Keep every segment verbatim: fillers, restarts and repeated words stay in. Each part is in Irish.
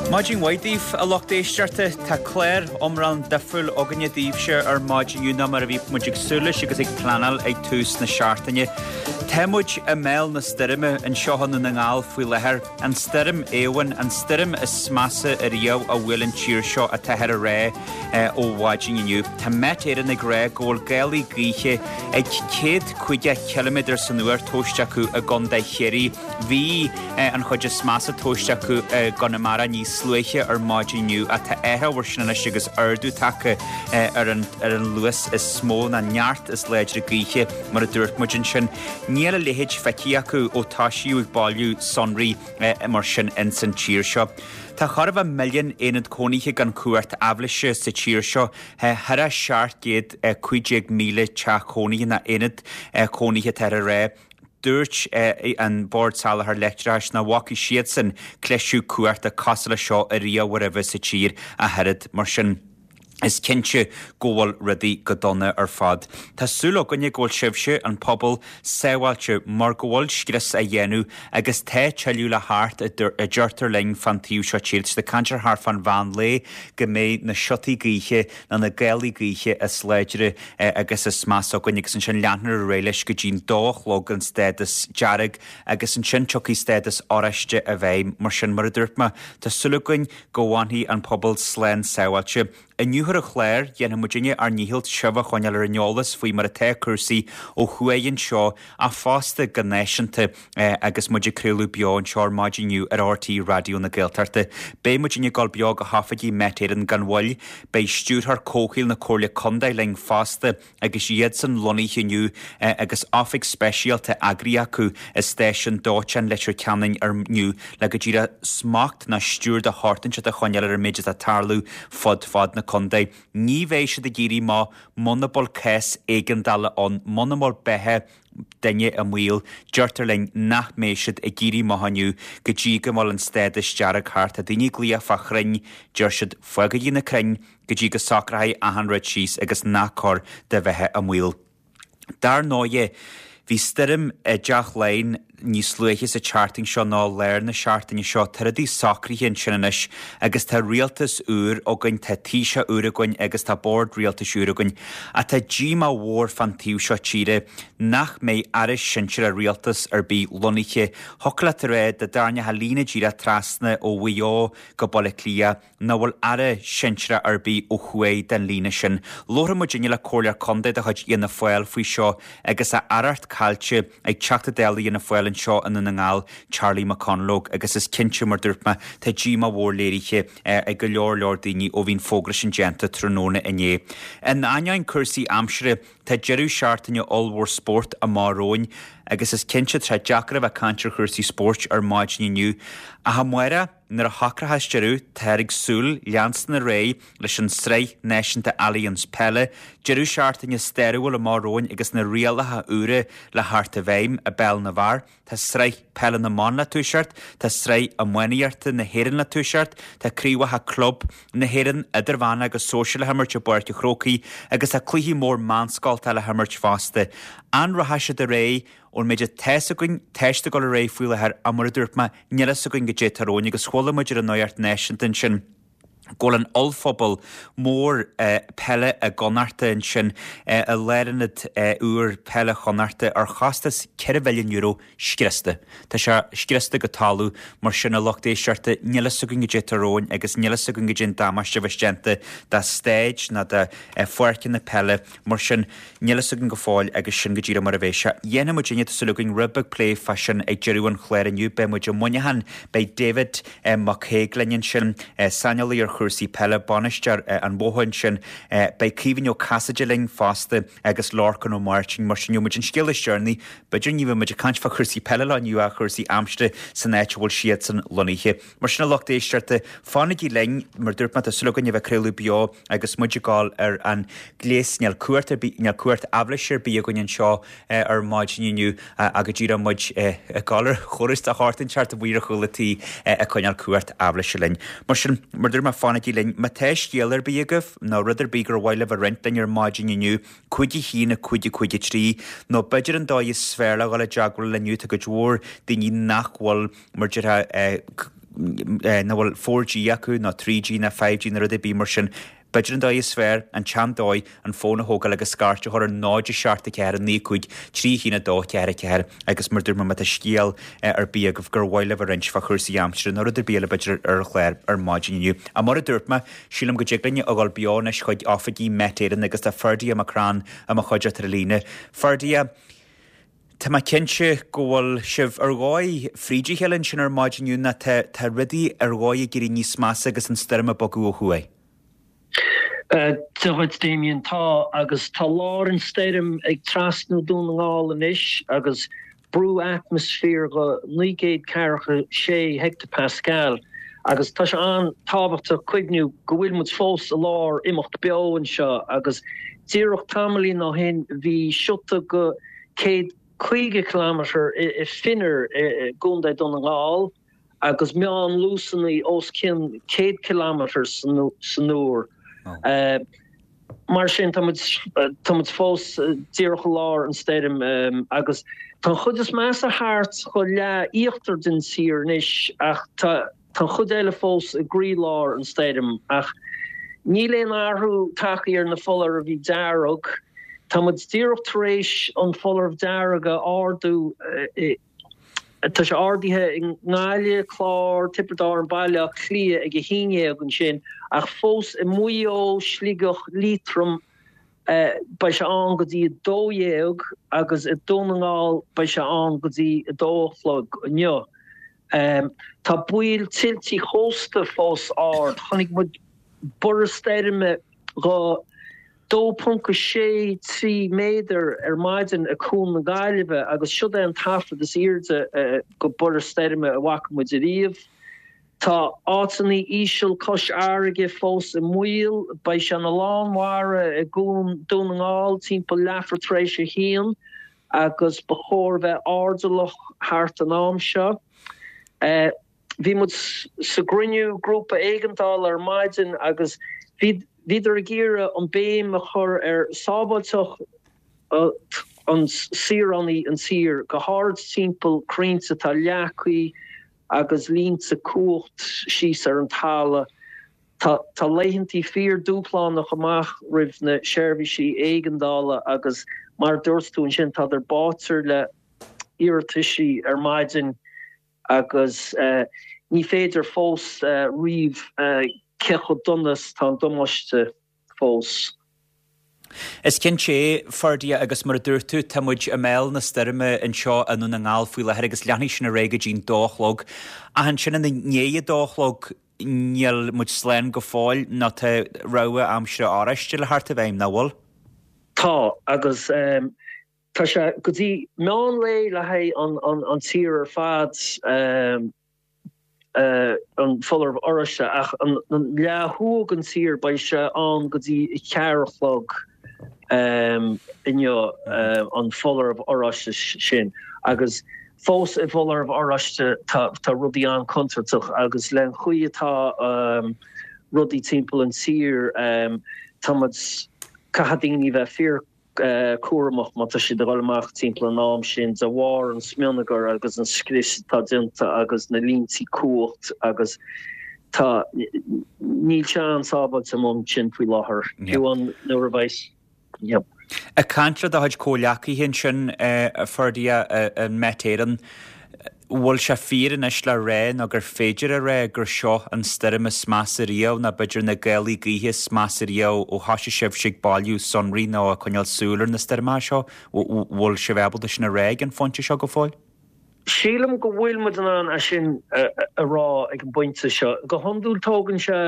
Maidin mhaith daoibh, a lucht éisteachta. Tá clár iomlán difriúil againne daoibhse ar maidin inniu ná mar a bhí muid ag súil leis agus ag pleanáil ag tús na seachtaine. Tá muid i mbéal na stoirme anseo i nDún na nGall faoi láthair, an stoirm Éowyn, an stoirm is measa ariamh a bhuail an tír seo atáthar a rá ó mhaidin inniu. Tá Met Éireann ag rá go bhfuil gálaí gaoithe ag céad caoga ciliméadar san uair tomhaiste acu i gContae Chiarraí. Bhí an chuid is measa tomhaiste acu i gConamara níos luaithe ar maidin inniu ach tá athrú air sin anois agus ardú tagtha ar an ar an luas is mó ná neart is láidre gaoithe mar a dúirt muid ansin. Níl a leithéid feicthe acu ó tosaíodh ag bailiú sonraí mar sin ins an tír seo. Tá chóir a bheith milliún aonad cónaithe gan cumhacht aibhléise sa tír seo, thar a seacht gcéad cúig déag míle teach cónaithe ná aonad cónaithe atáthar a rá. Dúirt an Bord Soláthair Leictreachais nach bhfaca siadsan cliseadh cumhachta cosúil leis seo ariamh roimhe sa tír ach oiread. Mar sin, is cinnte go bhfuil rudaí go dona ar fad. Tá súil againne go bhfuil sibhse, an pobal, sábháilte mar go bhfuil scrios á dhéanamh agus tá tuilleadh le theacht a deirtear linn fán taobh seo tíre. Tá caint ar thart fán mheán lae go mbeidh na siotaí gaoithe nó na gálaí gaoithe is láidre agus is measa againn agus ansin leanfar ar aghaidh leis go dtí'n dó a chlog an stádas dearg agus ansin tiocfaidh stádas oráiste i bhfeidhm. Mar sin, mar a dúirt mé, tá súil againn go bhfanfaidh an pobal slán sábháilte. Inniu ar an chlár, dhéanfaidh muidinne ár ndícheall sibh a choinneáil ar an eolas faoi mar atá cúrsaí ó thuaidh anseo ach fosta go náisiúnta agus muid ag craoladh beo anseo ar maidin inniu ar R T Raidió na Gaeltachta. Beidh muidinne ag dul beo go hoifigí Met Éireann gan mhoill. Beidh stiúrthóir comhshaoil na Comhairle Contae linn fosta agus iadsan lonnaithe inniu agus oifig speisialta eagraithe acu i stáisiún dóiteáin Leitir Ceanainn ar inniu le go díreach smacht ná stiúir de shórt inteacht a choinneáil ar an méid atá ag tarlú fud fad na contae. Ní bheidh siad ag éirí amach muna bhfuil cás éigeandála ann, muna bhfuil beatha duine i mbaol, deirtear linn nach mbeidh siad ag éirí amach inniu go dtí go bhfuil an stádas dearg thart. Tá daoine ag glaoch fá chrainn, deir siad fágaigí na crainn go dtí go socróidh achan rud síos agus ná cóir do bheatha i mbaol. Dar ndóighe, bhí stoirm i dTeach Laighean níos luaithe sa tseachtain seo ná lár na seachtaine seo. Tá rudaí socraithe ansin anois agus tá rialtas úr againn, tá Taoiseach úr againn agus tá bord rialtais úr againn. Ach tá díomá mhór fán taobh seo tíre nach mbeidh aire sinsearach rialtas ar bith lonnaithe. Thiocfadh leat a rá dá dtarraingeofá líne díreach trasna ó Mhaigh Eo go Baile Átha Cliath nach bhfuil aire sinsearach ar bith ó thuaidh den líne sin. Labharfaidh muidinne le Comhairleoir Contae de chuid Fhianna Fáil faoi seo agus a aireacht caillte ag Teachta Dála Fhianna Fáil anseo i nDún na nGall, Charlie McConalogue, agus is cinnte, mar dúirt mé, tá díomá mhór léirithe ag go leor leor daoine ó bhí an fógra sin déanta tráthnóna inné. In ainneoin cúrsaí aimsire, tá deireadh seachtaine ollmhór spóirt amach romhainn agus is cinnte tá sé deacair a bheith ag caint ar chúrsaí spóirt ar maidin inniu. Ach amárach, nuair a shocróchas deireadh, táthar ag súil leanstan ar aghaidh leis an Sraith Náisiúnta Allianz Peile, deireadh seachtaine stairiúil amach romhainn agus na rialacha úra le theacht i bhfeidhm i bpeil na bhfear. Tá Sraith Peile na mBan le toiseacht, tá Sraith Iománaíochta na hÉireann le toiseacht, tá Craobhacha Club na hÉireann, Idirmheánach agus Sóisir le himirt i bPáirc an Chrócaigh agus tá cluichí mór meánscolta le himirt fosta. An rachaidh siad ar aghaidh ón méid atá fhios againn, tá siad ag dul ar aghaidh faoi láthair ach mar a dúirt mé, níl fhios againn goidé atá romhainn agus chuala muid ar an nuacht náisiúnta ansin go bhfuil an ollphuball mór peile i gConnachta ansin, i lárionad úr peile Chonnachta ar chostas ceithre mhilliún euro scriosta. Tá sé scriosta go talamh, mar sin a lucht éisteachta, níl fhios againn goidé atá romhainn agus níl fhios againn goidé an damáiste a bheas déanta do staid ná do pháirceanna peile, mar sin níl fhios againn go fóill agus sin go díreach mar a bheidh sé. Dhéanfaidh muid inniu, tá súil againn, rud beag plé fá sin ag deireadh an chláir inniu. Beidh muid i Muineachán, beidh David Mac Aodha linn ansin, saineolaí ar chúrsaí peile, bainisteoir an Bhótha ansin. Beidh Caoimhín Ó Casaide linn fosta agus Lorcán Ó Máirtín. Mar sin, gheobhaidh muid an scéal is deireanaí. B'fhéidir ní bheidh muid ag caint fá chúrsaí peile lá inniu ach chúrsaí aimsire san áit a bhfuil siadsan lonnaithe. Mar sin, a lucht éisteachta, fanaigí linn, mar dúirt mé, tá súil againn a bheith ag craoladh beo agus muid ag gabháil ar an gléas. Níl cumhacht ar bith, níl cumhacht aibhléise ar bith againn anseo ar maidin inniu ach go díreach muid ag gabháil ar chóras de shórt inteacht amuigh ar chúl an tí ag coinneáil cumhacht aibhléise linn. Mar sin, mar dúirt mé, fanaigí linn. Má tá scéal ar bith agaibh nó rud ar bith gur mhaith libh a roinnt linn ar maidin inniu, cúig a haon, a cúig a cúig a trí, nó b'fhéidir an dóigh is fearr le dhul i dteagmháil linn inniu, tá cuid mhór daoine nach bhfuil, mar déarfá, nach bhfuil four G acu nó trí G ná five G nó rud ar bith mar sin. B'fhéidir an dóigh is fearr, an tsean-dóigh, an fón a thógáil agus scairt a chur ar náid a seacht a ceathair naoi cúig trí haon a dó ceathair a ceathair agus mar dúirt mé má tá scéal ar bith agaibh gur mhaith libh a roinnt fá chúrsaí aimsire nó rud ar bith eile b'fhéidir ar an chlár ar maidin inniu. Ach mar a dúirt mé, sílim go dtig linn a dhul beo anois chuig oifigí Met Éireann agus tá Ferdia McCrann i mo chuideachta ar an líne. Ferdia, Tá mé cinnte go bhfuil sibh ar dhóigh fríd a chéile ansin ar maidin inniu nó tá tá rudaí ar dhóigh ag éirí níos measa agus an stoirm ag bogadh ó thuaidh. Dia dhuit Damien, tá agus tá lár an stoirm ag trasnú Dún na nGall anois agus brú atmaisféir go naoi gcéad ceathracha sé heicteapascal agus tá sé an-tábhachtach cuimhniú go bhfuil muid fós i lár imeacht beo anseo agus díreach tamaillín ó shin bhí siota go céad caoga kilometre i Finner i gContae Dún na nGall agus meánluasanna os cionn céad kilometre san uair. Mar sin tá muid tá muid fós díreach i lár an stoirm agus tá an chuid is measa thart chomh leath íochtar den tír anois ach tá Tá an chuid eile fós i gcroílár an stoirm ach níl aon athrú tagtha ar na foláirimh dearg. Tá muid díreach tar éis an foláireamh dearg a ardú. Tá sé ardaithe i nGaillimh, Clár, Tiobraid Árann, Baile Átha Cliath ag a haon dhéag ansin ach fós i Maigh Eo, Sligeach, Liatroim beidh sé ann go dtí a dó dhéag agus i Dún na nGall beidh sé ann go dtí a dó a chlog inniu. Tá baol tuiltí chósta fós ard. Chonaic muid borradh stoirme go dó ponc a sé trí méadar ar maidin i Cuan na Gaillimhe agus siod é an taifead is airde go borradh stoirme a bhfaca muid ariamh. Tá áiteanna íseal cois fharraige fós i mbaol. Beidh sé ina lán mara i gCuan Dún na nGall timpeall leathuair tar éis a haon agus ba chóir bheith airdeallach thart an am seo. Bhí muid sa gcruinniú grúpa éigeandála ar maidin agus bhíodar ag iarraidh an béim a chur ar sábháilteacht an saoránaigh an tír, go háirid timpeall crainnte atá leagtha agus línte cumhacht síos ar an talamh. Tá laethantaí fíor dúshlánach amach roimh na seirbhísí éigeandála agus mar a dúirt tú ansin tádar báite le iarrataisí ar maidin agus ní féidir fós ríomh cé chomh dona is tá an damáiste fós. Is cinnte é, Ferdia, agus mar a dúirt tú, tá muid i mbéal na stoirme anseo i nDún na nGall faoi láthair agus leanfaidh sin ar aghaidh go dtí'n dó a chlog. Ach ansin ina ndiaidh a dó a chlog, níl muid slán go fóill nó tá rabhadh aimsire oráiste le theacht i bhfeidhm, nach bhfuil? Tá, agus tá sé go dtí meán lae le haghaidh an tír ar fad. An foláireamh oráiste ach an leath thuaidh den tír beidh sé ann go dtí a ceathair a chlog inniu an foláireamh oráiste sin agus fós i bhfoláireamh oráiste tá rudaí an-chontúirteach agus le an chaoi atá rudaí timpeall an tír tá muid caithfidh daoine bheith fíor cúramach má tá siad ag dul amach timpeall an am sin de bharr an smionagair agus an scrios atá déanta agus na línte cumhacht agus tá níl sé an-sábháilte amuigh ansin faoi láthair fiú an nuair a bheas yep. Ag caint le do chuid comhghleacaithe ansin a Ferdia in Met Éireann, bhfuil sé fíor anois le rá nó gur féidir a rá gur seo an stoirm is measa riamh nó b'fhéidir na gálaí gaoithe is measa riamh ó thosaigh sibhse ag bailiú sonraí nó ag coinneáil súil ar na stoirmeacha seo? Bhfuil sibh ábalta sin a rá ag an phointe seo go fóill? Sílim go bhfuil muid in ann é sin a rá ag an bpointe seo. Go hiondúil tógann sé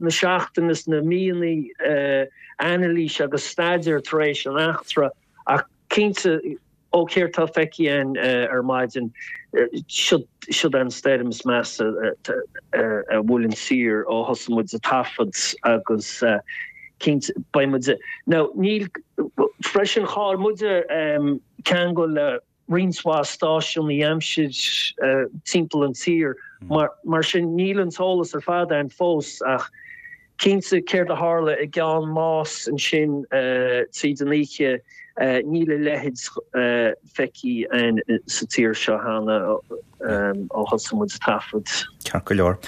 na seachtainí is na míonna anailís agus staidéar tar éis an eachtra ach cinnte Ó céard tá feicthe againn ar maidin, siod an stoirm is measa a bhuail an tír ó thosaigh muid ag taifead agus cinnte beidh muid now níl freisin chaill muide ceangal le roinnt mhaith stáisiúnaí aimsir timpeall an tír mar sin níl an t-eolas ar fad ann fós ach Cinnte, céard a tharla i gCeann Máis ansin tríd an oíche, níl a leithéid feicthe againn sa tír seo cheana ó thosaigh muid ag taifead. Ceart go leor.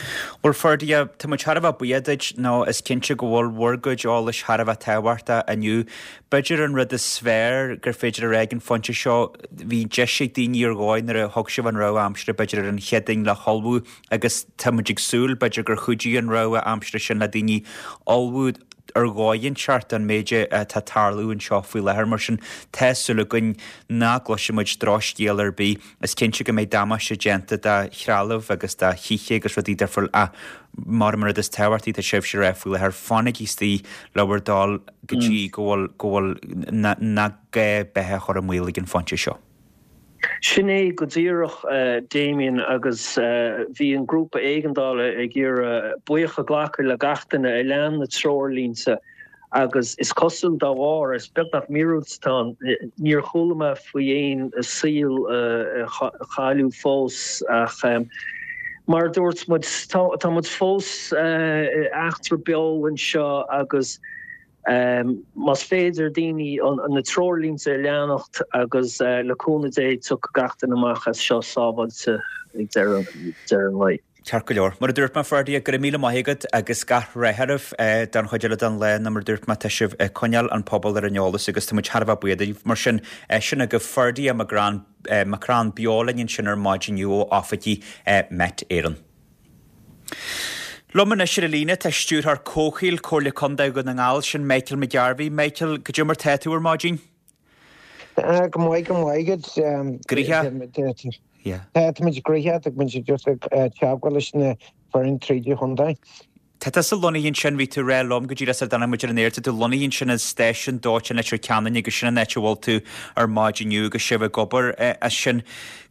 Bhuel Ferdia, tá muid thar a bheith buíoch duit nó is cinnte go bhfuil bhur gcuid eolais thar a bheith tábhachtach inniu. B'fhéidir an rud is fearr gur féidir a rá ag an phointe seo, bhí deis ag daoine ar dhóigh nuair a thug sibh an rabhadh aimsire b'fhéidir ar an Chéadaoin le hullmhú agus tá muid ag súil b'fhéidir gur chuidigh an rabhadh aimsire sin le daoine ullmhú ar dhóigh inteacht an méid atá ag tarlú anseo faoi láthair mar sin tá súil againn nach gcloisfidh muid drochscéal ar bith. Is cinnte go mbeidh damáiste déanta do threalamh agus do thithe agus rudaí difriúil ach mar an rud is tábhachtaí tá sibhse a rá faoi láthair fanaigí istigh le bhur dtoil go dtí go bhfuil go bhfuil nach gá beatha a chur i mbaol ag an phointe seo. Sin é go díreach Damien agus bhí an grúpa éigeandála ag iarraidh buíochas a ghlacadh le gach duine a lean na treoirlínte agus is cosúil dá bharr is beagnach míorúilt atá ann níor chuala mé faoi aon saol a cailleadh fós ach mar a dúirt muid tá muid fós eachtra beo anseo agus Más féidir daoine na treoirlínte a leanacht agus le cúnamh Dé tiocfaidh gach duine amach as seo sábháilte ag deireadh an lae. Ceart go leor. Mar a dúirt mé, Ferdia, go raibh míle maith agat agus gach rath oraibh don chuid eile den lá nó mar a dúirt mé tá sibh ag coinneáil an pobal ar an eolas agus tá muid thar a bheith buíoch daoibh. Mar sin, sin agaibh Ferdia McCrann beo linn ansin ar maidin inniu ó oifigí Met Éireann. Liom anois ar an líne tá Stiúrthóir Comhshaoil Comhairle Contae Dhún na nGall, sin Michael McGarvey. Michael, goidé mar tá tú ar maidin? Go maith, go maith agat. Gnoitheach? Tá muid gnoitheach, tá muid just ag teagmháil leis na foireann tríd an chontae. Tá tusa lonnaithe ansin, bhí tú ag rá liom go díreach sar dtáinig muid ar an aer, tá tú lonnaithe ansin i stáisiún dóiteáin Leitir Ceanainn agus sin an áit a bhfuil tú ar maidin inniu agus sibh ag obair as sin.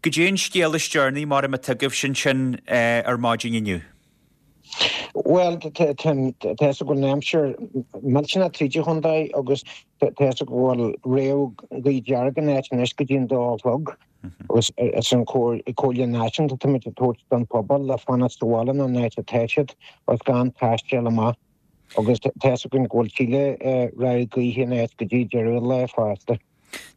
Goidé an scéal is deireanaí mar atá agaibhse ansin ar maidin inniu? Bhuel, tá a fhios go bhfuil an aimsir millteanach tríd an chontae agus tá a fhios go bhfuil rabhadh gaoth dearg in áit anois go dtí an dó a chlog. Agus is an comhairle náisiúnta atá muid ag tabhairt don phobal le fanacht sa bhaile nó an áit atá siad agus gan taisteal amach. Agus tá a fhios againn go bhfuil tuilleadh rabhadh gaoithe in áit go dtí deireadh an lae fosta.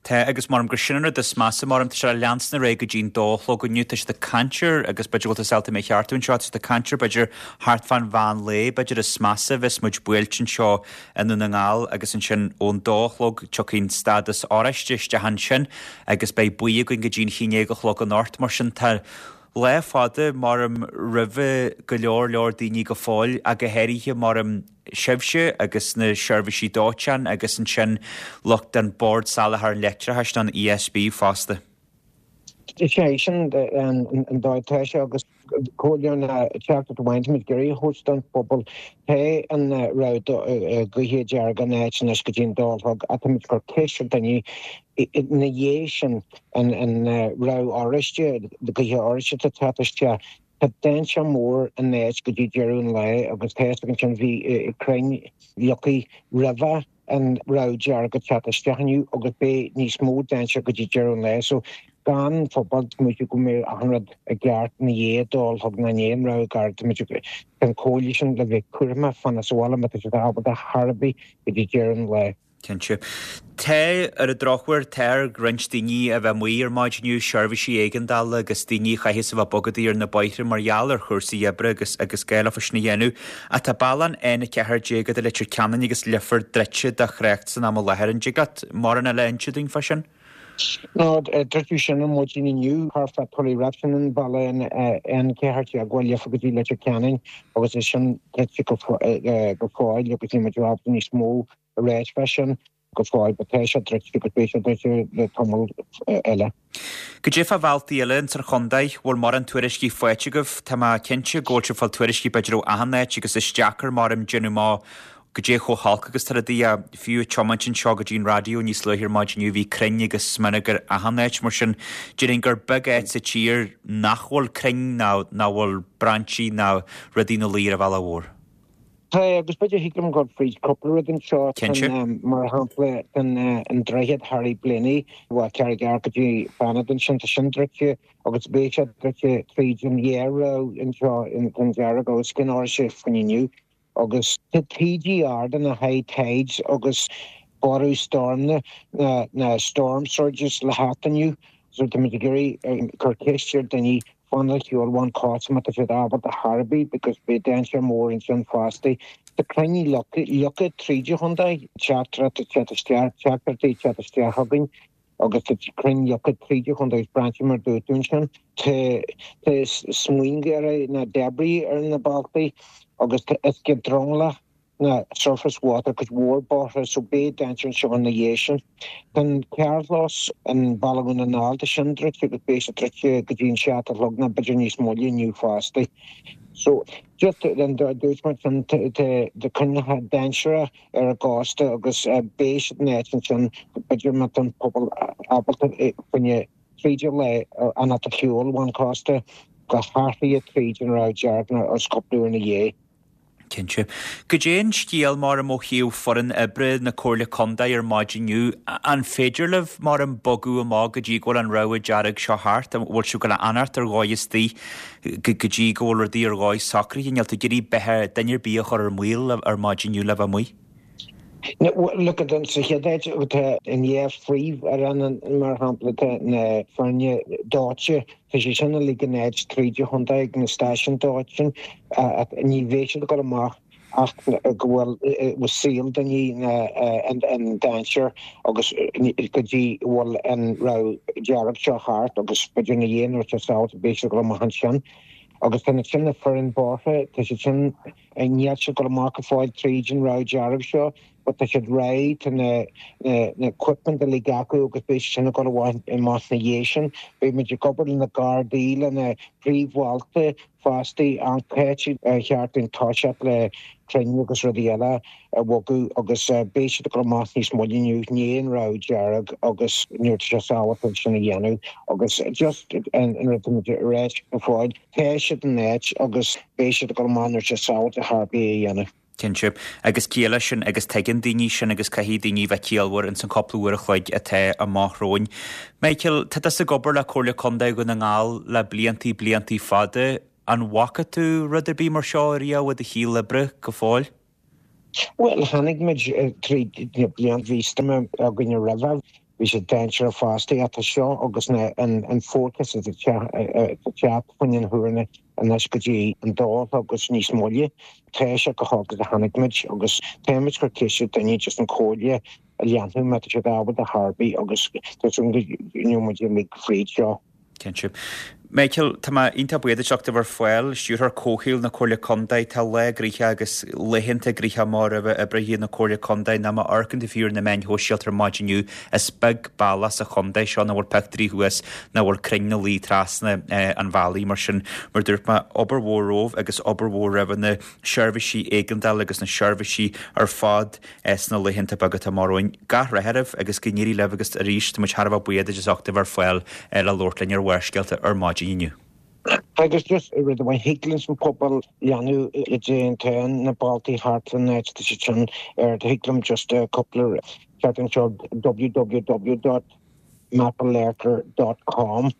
Tá, agus maram gur sin an rud is measa, maram tá sé le leanstan ar aghaidh go dtí'n dó a chlog inniu, tá siad ag caint ar, agus b'fhéidir go bhfuil tú ábalta mé a cheartú anseo, tá siad ag caint ar b'fhéidir thart fán mheán lae, b'fhéidir is measa a bheas muid buailte anseo i nDún na nGall agus ansin ón dó a chlog tiocfaidh an stádas oráiste isteach ansin agus beidh buí againn go dtí'n haon déag a chlog anocht, mar sin tá lá fada maram roimhe go leor leor daoine go fóill ach go háirithe maram sibhse agus na seirbhísí dóiteáin agus ansin lucht an Bord Soláthair Leictreachais an ESB fosta. Is é sin an dóigh atá sé agus comhairle ná teachtaireacht amháin táimid ag iarraidh a thabhairt don phobal. Tá an rabhadh gaoithe dearg in áit anois go dtí an dó a chlog ach táimid ag cur ceist ar daoine ina dhiaidh sin an rabhadh oráiste, gaoithe oráiste atá ag teacht isteach. Tá dainséar mór in áit go dtí deireadh an lae agus tá a fhios againn ansin bhí crainn leagtha roimhe an rabhadh dearg ag teacht isteach inniu agus beidh níos mó dainséar go dtí deireadh an lae so gan phobal tá muid go mbeidh achan rud i gceart ina dhiaidh dó a chlog nó i ndiaidh an rabhadh dearg tá muid an comhairle sin le bheith cúramach fanacht sa bhaile má tá siad ábalta chor ar bith go dtí deireadh an lae. Cinnte. Tá, ar an drochuair, tá ar roinnt daoine a bheith amuigh ar maidin inniu, seirbhísí éigeandála agus daoine a chaithfeas a bheith bogadaí ar na bóithre mar gheall ar chúrsaí oibre agus agus gá leofa sin a dhéanamh. Ach tá bealach an N a ceathair déag idir Leitir Ceanainn agus Leifear druidte do thrácht san am i láthair. An dtig leat mórán eile a inse dúinn fá sin? No, druideadh sin ar maidin inniu thart fá Tully Roimh sin an bealach an N ceathair déag ó Leifear go dtí Leitir Ceanainn agus é sin druidte go fóill agus níl muid ábalta níos mó a ráit fá sin go fóill, but tá sé druidte agus beidh sé druidte le tamall eile. Goidé fá bhealtaí eile ins an chontae, bhfuil mórán tuairiscí faighte agaibh? Tá mé cinnte go bhfuil sibh ag fáil tuairiscí b'fhéidir ó achan áit agus is deacair maram déanamh amach goidé chomh holc agus tá rudaí ach fiú ag tiomáint anseo go dtí an raidió níos luaithe ar maidin inniu bhí crainn agus smionagar achan áit mar sin déarfainn gur beag áit sa tír nach bhfuil crainn ná nach bhfuil brainsí ná rudaí ina luí ar an bhealach mhór. Tá, agus b'fhéidir thig liom dul fríd cúpla rud anseo, Cinnte. mar shampla an droichead Harry Blaney ó Carraig Airt go dtí Fanad ansin, tá sin druidte agus beidh sé druidte tríd an dhá rabhadh anseo an dearg agus an oráiste faoin inniu agus tá taoidí arda na high tides agus borradh stoirme na storm surges le theacht inniu so tá muid ag iarraidh cur ceist ar daoine Fan le shiúl ón cósta má tá siad ábalta ar chor ar bith because beidh dainséar mór ansin fosta. Tá crainn leagtha tríd an chontae, teachtaireacht ag teacht isteach, teachtaireachtaí ag teacht isteach againn agus tá crainn leagtha tríd an chontae agus brainsí mar dúirt tú ansin. Tá tá smionagar ná debris ar na bealtaí agus tá uisce dromchla ná surface water cuid mhór bóithre so beidh dainséar anseo ina dhiaidh sin. Tá an carrchlós i mBaile Dhún na nGall tá sin druidte agus beidh sé druidte go dtí an seacht a chlog nó b'fhéidir níos moille inniu fosta. So just an dúirt muid sin tá coinníollacha dainséaracha ar an gcósta agus beidh siad in áit ansin b'fhéidir má tá an pobal ábalta coinne tríd le an at shiúl ón cósta go háirithe tríd an rabhadh dearg nó os cúpla uair ina dhiaidh. Cinnte. Goidé an scéal mar ó thaobh foireann oibre na Comhairle Contae ar maidin inniu, an féidir libh mar an bogadh amach go dtí go bhfuil an rabhadh dearg seo thart, an bhfuil sibh ag gabháil a fhanacht ar dhóigh istigh go dtí go bhfuil rudaí ar dhóigh socraithe? Níl tú ag iarraidh beatha duine ar bith a chur ar maol ar maidin inniu le bheith amuigh? Look at sa chéad áit tá an dhá phríomhfhoireann mar shampla tá na foirne dóite tá sé sin uilig in áit tríd an chontae ag na stáisiúin dóite ní bheidh siad ag dul amach ach go bhfuil saol daoine in dainséar agus go dtí bhfuil an rabhadh dearg seo thart agus b'fhéidir ina dhiaidh nuair atá sábháilte beidh siad ag dul amach ansin. Agus tá sin na foireann bóithre tá siad sin níl siad ag dul amach go fóill tríd an rabhadh dearg seo but tá siad réidh tá na na equipment uilig acu agus beidh siad sin ag dul amach ina dhiaidh sin. Beidh muid ag obair le na Gardaí le na príomhbhailte fosta an cá ar cheart dúinn toiseacht le crainn agus rudaí eile a bhogadh agus beidh siad ag dul amach níos moille inniu i ndiaidh an rabhadh dearg agus nuair atá sé sábháilte sin a dhéanamh agus just an rud atá muid a rá go fóill tá siad in áit agus beidh siad ag dul amach nuair atá sé sábháilte chor ar bith a dhéanamh. Cinnte. Agus ciall leis sin agus tuigeann daoine sin agus caithfidh daoine bheith ciallmhar ins an cúpla uair a chloig atá amach romhainn. Michael, tá tusa ag obair le Comhairle Contae Dhún na nGall le bliantaí bliantaí fada. An bhfaca tú rud ar bith mar seo riamh i do shaol oibre go fóill? Bhuel, tháinig muid trí na blianta bhí stoirm againne roimhe. Bhí sé dainséarach fosta ach tá seo agus na an forecast atá ag teacht faoin an huairne anois go dtí an dó agus níos moille. Tá sé go holc a tháinig muid agus tá muid chur ceiste daoine just an comhairle a leanúint má tá siad ábalta chor ar bith agus tá súil go ngeobhaidh muid uilig fríd seo. Cinnte. Michael, tá mé iontach buíoch duit as ucht a bheith ar fáil, Stiúrthóir Comhshaoil na Comhairle Contae, tá lá gnoitheach agus laethanta gnoitheach amach roimh oibrithe na Comhairle Contae ná má amharcann tú fiú ar na meáin shóisialta ar maidin inniu, is beag bealach sa chontae seo nach bhfuil pictiúirí thuas nach bhfuil crainn ina luí trasna an bhealaigh. Mar sin, mar dúirt mé, obair mhór romhaibh agus obair mhór roimh na seirbhísí éigeandála agus na seirbhísí ar fad sna laethanta beaga atá amach romhainn. Gach rath oraibh agus go n-éirí libh agus arís tá muid thar a bheith buíoch duit as ucht a bheith ar fáil le labhairt linn ar Bharrscéalta ar maidin inniu. Agus just rud amháin thig leis an pobal leanúint le na bealtaí thart san áit tá siad sin ar thig liom just cúpla ceart anseo www dot mapalerter dot com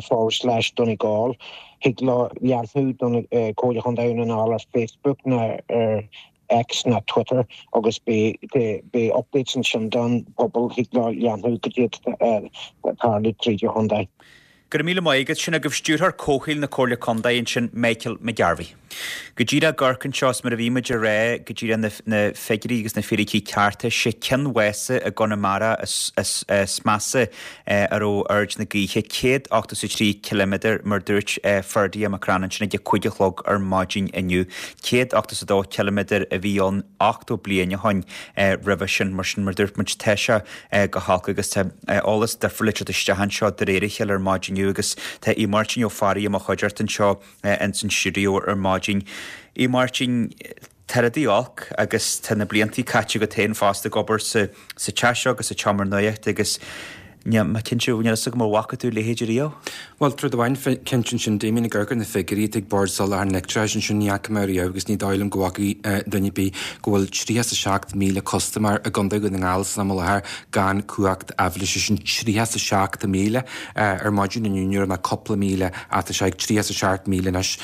forward slash Donegal. Thig leo leanúint don Comhairle Chontae Dhún na nGall ar Facebook ná ar X ná Twitter agus beidh updates ansin don pobal thig leo leanúint go dtí tarlú tríd an chontae. Go raibh míle maith agat, sin agaibh Stiúrthóir Comhshaoil na Comhairle Contae ansin, Michael McGarvey. Go díreach ag amharc anseo is mar a bhí muid a rá, go díreach na, na figiúirí agus na fíricí cearta, sé Cionn Mhása i gConamara is, is, is measa a raibh aird na gaoithe, céad ochtó is a trí ciliméadar mar dúirt Ferdia McCrann ansin ag a cúig a chlog ar maidin inniu. Céad ochtó is a dó ciliméadar a bhí ann ochtó bliain ó shoin roimhe sin, mar sin mar dúirt muid tá sé go holc agus tá eolas difriúil ag teacht isteach anseo de réir a chéile ar maidin inniu agus tá Aodh Máirtín Ó Fearraigh i mo chuideachta anseo ins an stiúideo ar maidin. Aodh Máirtín, tá rudaí olc agus tá na bliantaí caite agat féin fosta ag obair sa sa teach seo agus sa tseomra nuachta agus níl mé cinnte, níl a fhios agam ar bhfaca tú a leithéid riamh? Bhuel, rud amháin cinnte ansin, Damien, ag amharc ar na figiúirí atá ag Bord Soláthair an Leictreachais ansin, ní fhaca mé riamh agus ní dóigh liom go bhfaca duine ar bith go bhfuil tríocha is a seacht míle custaiméir i gContae Dhún na nGall san am i láthair gan cumhacht aibhléise, sin tríocha is a seacht míle ar maidin inniu, ní raibh ach cúpla míle ach tá sé ag tríocha is a seacht míle anois.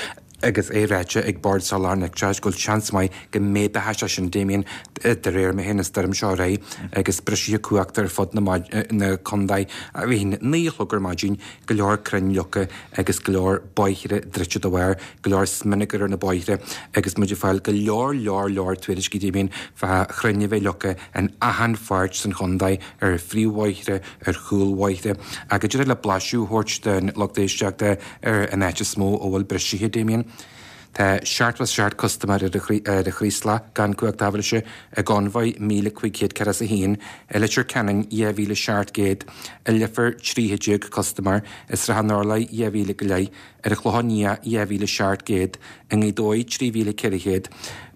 Agus é ráite ag Bord Soláthair an Leictreachais go bhfuil seans maith go méadóidh sé sin, Damien, de réir mar a théann an stoirm seo ar aghaidh agus briseadh cumhachta ar fud na contae. Bhí naoi a chlog ar maidin, go leor crainn leagtha agus go leor bóithre druidte dá bharr, go leor smionagar ar na bóithre agus muid ag fáil go leor leor leor tuairiscí, Damien, fá chrainn a bheith leagtha in achan pháirt san chontae, ar phríomhbhóithre, ar chúlbhóithre. Ach go díreach le blaiseadh a thabhairt don lucht éisteachta ar an áit is mó a bhfuil brisithe, Damien. Tá seachtó is seacht custaiméir ar an Chraoslach gan cumhacht aibhléise, i gConmhaigh míle cúig chéad ceathracha is a haon, i Leitir Ceanainn dhá mhíle seacht gcéad, i Leifear tríocha déag custaiméir, i Srath an Orlaigh dhá mhíle go leith, ar an Chlochán Liath dhá mhíle seacht gcéad, i nGaoth Dobhair trí mhíle ceithre chéad,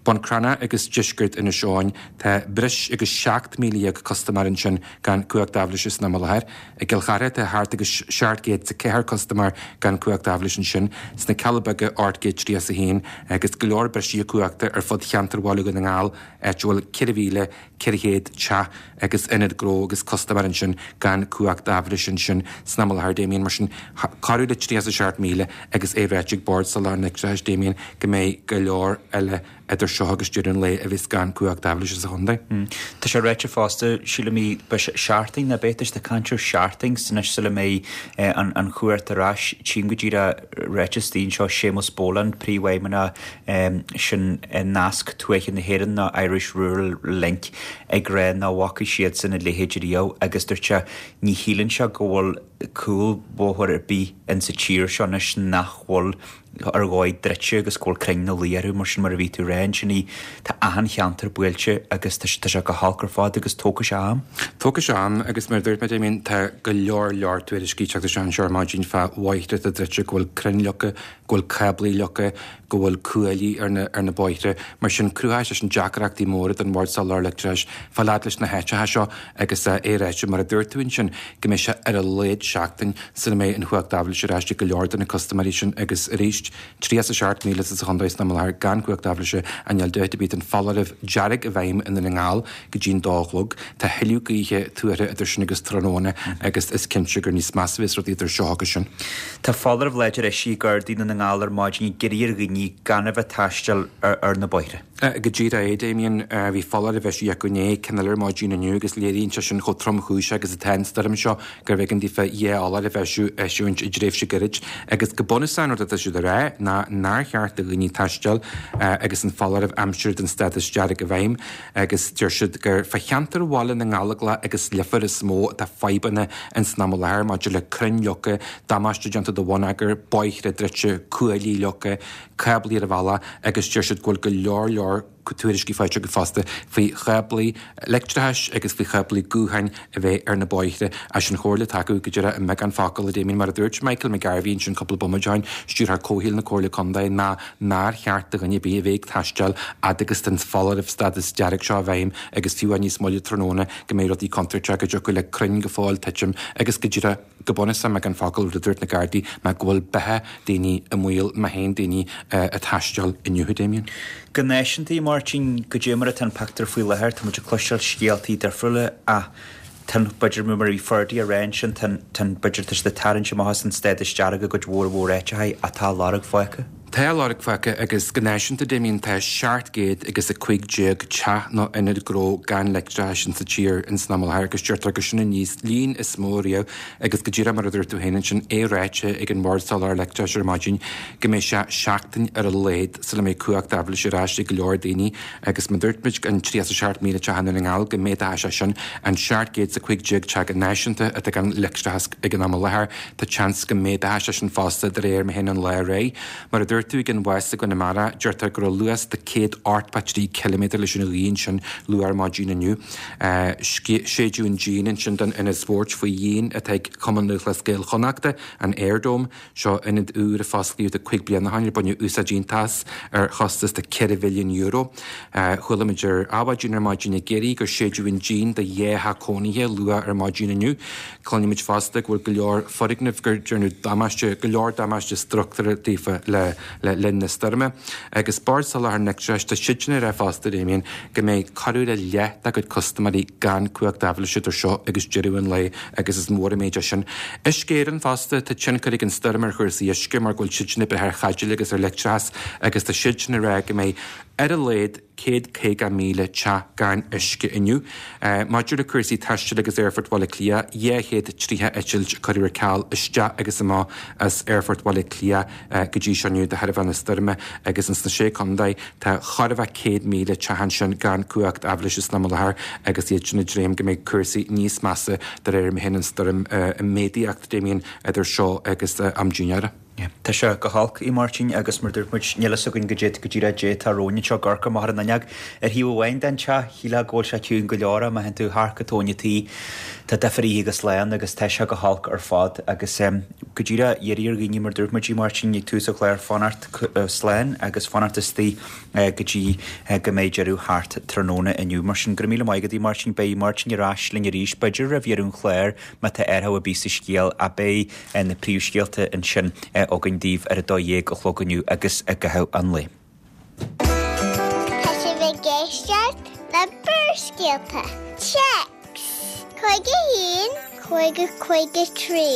Bun Cranncha agus deisceart Inis Eoghain, tá breis agus seacht míle dhéag custaiméir ansin gan cumhacht aibhléise san am i láthair. I gCill Chartha tá thart agus seacht gcéad is a ceathair custaiméir gan cumhacht aibhléise ansin, sna Cealla Beaga ocht gcéad tríocha is a haon agus go leor brisithe cumhachta ar fud cheantar Bhaile Dhún na nGall, áit a bhfuil ceithre mhíle ceithre chéad teach agus ionad gnó agus custaiméir ansin gan cumhacht aibhléise ansin san am i láthair, Damien. Mar sin, corradh le tríocha is a seacht míle agus é ráite ag Bord Soláthair an Leictreachais, Damien, go mbeidh go leor eile idir seo agus deireadh an lae a bheas gan cumhacht aibhléise sa chontae. Tá sé ráite fosta, sílim, beidh sé seachtain nó beidh siad ag caint ar seachtain anois sula mbeidh an chumhacht ar ais. Tchím go díreach ráite istigh anseo Séamus Boland, Príomhfheidhmeannach sin Nasc Tuaithe na hÉireann nó Irish Rural Link ag rá nach bhfaca siadsan a leithéid riamh agus dúirt sé ní shíleann sé go bhfuil cúlbhóthar ar bith insa tír seo anois nach bhfuil ar dhóigh druidte agus go bhfuil crainn ina luí orthu mar sin mar a bhí tú ag rá ansin í tá achan cheantar buailte agus tá sé go holc ar fad agus tógfaidh sé am. Tógfaidh sé am agus mar a dúirt mé Damien tá go leor leor tuairiscí ag teacht isteach anseo ar maidin fá bhóithre atá druidte go bhfuil crainn leagtha, go bhfuil cáblaí leagtha, go bhfuil cuaillí ar na ar na bóithre. Mar sin cruthaíonn sé sin deacrachtaí móra don Bhord Soláthair Leictreachais fáil fhad leis na háiteacha seo agus é ráite mar a dúirt tú ansin go mbeidh sé ar a laghad seachtain sula mbeidh an chumhacht aibhléise ar ais ag go leor de na custaiméirí sin agus arís tríocha is a seacht míle sa chontae san am i láthair gan cumhacht aibhléise ach níl dabht ar bith tá an foláireamh dearg i bhfeidhm i nDún na nGall go dtí'n dó a chlog. Tá thuilleadh gaoithe tuartha idir sin agus tráthnóna agus is cinnte gur níos measa a bheas rudaí idir seo agus sin. Tá foláireamh láidir eisithe ag Gardaí Dhún na nGall ar maidin ag iarraidh ar dhaoine gan a bheith ag taisteal ar na bóithre. Go díreach é, Damien. Bhí foláireamh eisithe acu inné, ceann eile ar maidin inniu agus léiríonn sé sin chomh tromchúiseach agus atá an stoirm seo gurbh éigean daofa dhá fholáireamh a eisiúint i dtréimhse gairid. Agus go bunúsach an rud atá siad a rá ná nár cheart do dhaoine taisteal agus an foláireamh aimsire den stádas dearg i bhfeidhm agus deir siad gur fá cheantar Bhaile na nGallóglach agus Leifear is mó atá fadhbanna ins an am i láthair maidir le crainn leagtha, damáiste déanta do bhonneagar, bóithre druidte, cuaillí leagtha, cáblaí ar an bhealach agus deir siad go bhfuil go leor leor tuairiscí faighte acu fosta faoi cháblaí leictreachais agus faoi cháblaí gutháin a bheith ar na bóithre. Is an chomhairle atá acu go díreach i mbeagán focal, a Damien, mar a dúirt Michael McGarvey ansin cúpla bomaite ó shin, Stiúrthóir Comhshaoil na Comhairle Contae, ná nár cheart do dhuine ar bith a bheith ag taisteal fhad agus tá an foláireamh stádas dearg seo i bhfeidhm agus fiú amháin níos moille tráthnóna go mbeidh rudaí contúirteach go dtiocfadh le crainn go fóill titim agus go díreach go bunúsach i mbeagán focal, rud a dúirt na Gardaí ná go bhfuil beatha daoine i mbaol má théann daoine ag taisteal inniu, a Damien. Go náisiúnta, a Mháirtín, goidé mar atá an pictiúr faoi láthair, tá muid ag cloisteáil scéaltaí difriúla ach tá an, b'fhéidir, mar a bhí Ferdia a rá ansin, tá an, tá an, b'fhéidir, tá siad ag tarraingt amach as an stádas dearg i gcuid mhór mhór áiteacha ach tá lorg fágtha. Tá lorg fágtha agus go náisiúnta, Damien, tá seacht gcéad agus a cúig déag teach nó ionad gnó gan leictreachas insa tír ins an am i láthair agus deirtear gur sin an líon is mó riamh agus go díreach mar a dúirt tú féin ansin, é ráite ag an mBord Soláthair Leictreachais ar maidin go mbeidh sé seachtain ar a laghad sula mbeidh cumhacht aibhléise ar ais ag go leor daoine agus mar a dúirt muid an tríocha is a seacht míle teach i nDún na nGall go méadóidh sé sin an seacht gcéad is a cúig déag teach go náisiúnta atá gan leictreachas ag an am i láthair. Tá seans go méadóidh sé sin fosta de réir mar a théann an lá ar aghaidh. Mar a dúirt tú ag an bhfás i gConamara, deirtear go raibh luas de céad ochtó trí ciliméadar leis an ghaoth ansin luath ar maidin inniu. Séideadh an díon ansin don ionad spóirt faoi dhíon atá ag Cumann Lúthchleas Gael Chonnachta, an Airdome. Seo ionad úr a fosclaíodh de cúig bliana ó shin ar baineadh úsáid iontach as ar chostas de ceithre mhilliún euro. Chuala muid ar Adhmhaidin ar maidin i gCiarraí gur séideadh an díon do dhá theach cónaithe luath ar maidin inniu. Cluinimid fosta go bhfuil go leor foirgneamh gur déanadh damáiste, go leor damáiste struchtúrtha daofa le le linn na stoirme. Agus Bord Soláthair an Leictreachais, tá siadsan ag rá fosta, Damien, go mbeidh corradh le leath dá gcuid custaiméirí gan cumhacht aibhléise idir seo agus deireadh an lae agus is mór an méid é sin. Uisce Éireann fosta, tá tionchar ag an stoirm ar chúrsaí uisce mar go bhfuil siadsan ag brath ar chaidéil agus ar leictreachas agus tá siadsan ag rá go mbeidh ar a laghad céad caoga míle teach gan uisce inniu. Maidir le cúrsaí taistil agus Aerfort Bhaile Átha Cliath, dhá chéad tríocha eitilt a cuireadh ar ceal isteach agus amach as Aerfort Bhaile Átha Cliath go dtí seo inniu de thairbhe na stoirme agus ins na Sé Chontae tá chóir a bheith céad míle teach ansin gan cumhacht aibhléise san am i láthair agus iad sin ag dréim go mbeidh cúrsaí níos measa de réir mar a théann an stoirm ag méadaíocht, Damien, idir seo agus am dinnéara. Tá sé go holc, a Mháirtín, agus mar dúirt muid, níl fhios againn goidé go díreach goidé atá romhainn anseo ag amharc amach ar an fhuinneog. Ar thaobh amháin den teach, shílfeá go bhfuil sé ciúin go leor ach má théann tú thart go tóin an tí, tá duifear oíche agus lá ann agus tá sé go holc ar fad agus go díreach iarraidh ar dhaoine, mar dúirt muid, a Mháirtín, ag tús an chláir, fanacht slán agus fanacht istigh go dtí go mbeidh deireadh thart tráthnóna inniu. Mar sin, go raibh míle maith agat, a Mháirtín. Beidh Máirtín ar ais linn arís, b'fhéidir roimh dheireadh an chláir, má tá athrú ar bith sa scéal, ach beidh na príomhscéalta ansin againn daoibh ar a dó dhéag a chlog inniu agus i gcaitheamh an lae. Tá sibh ag éisteacht le Barrscéalta. Téacs cúig a haon, cúig a cúig a trí.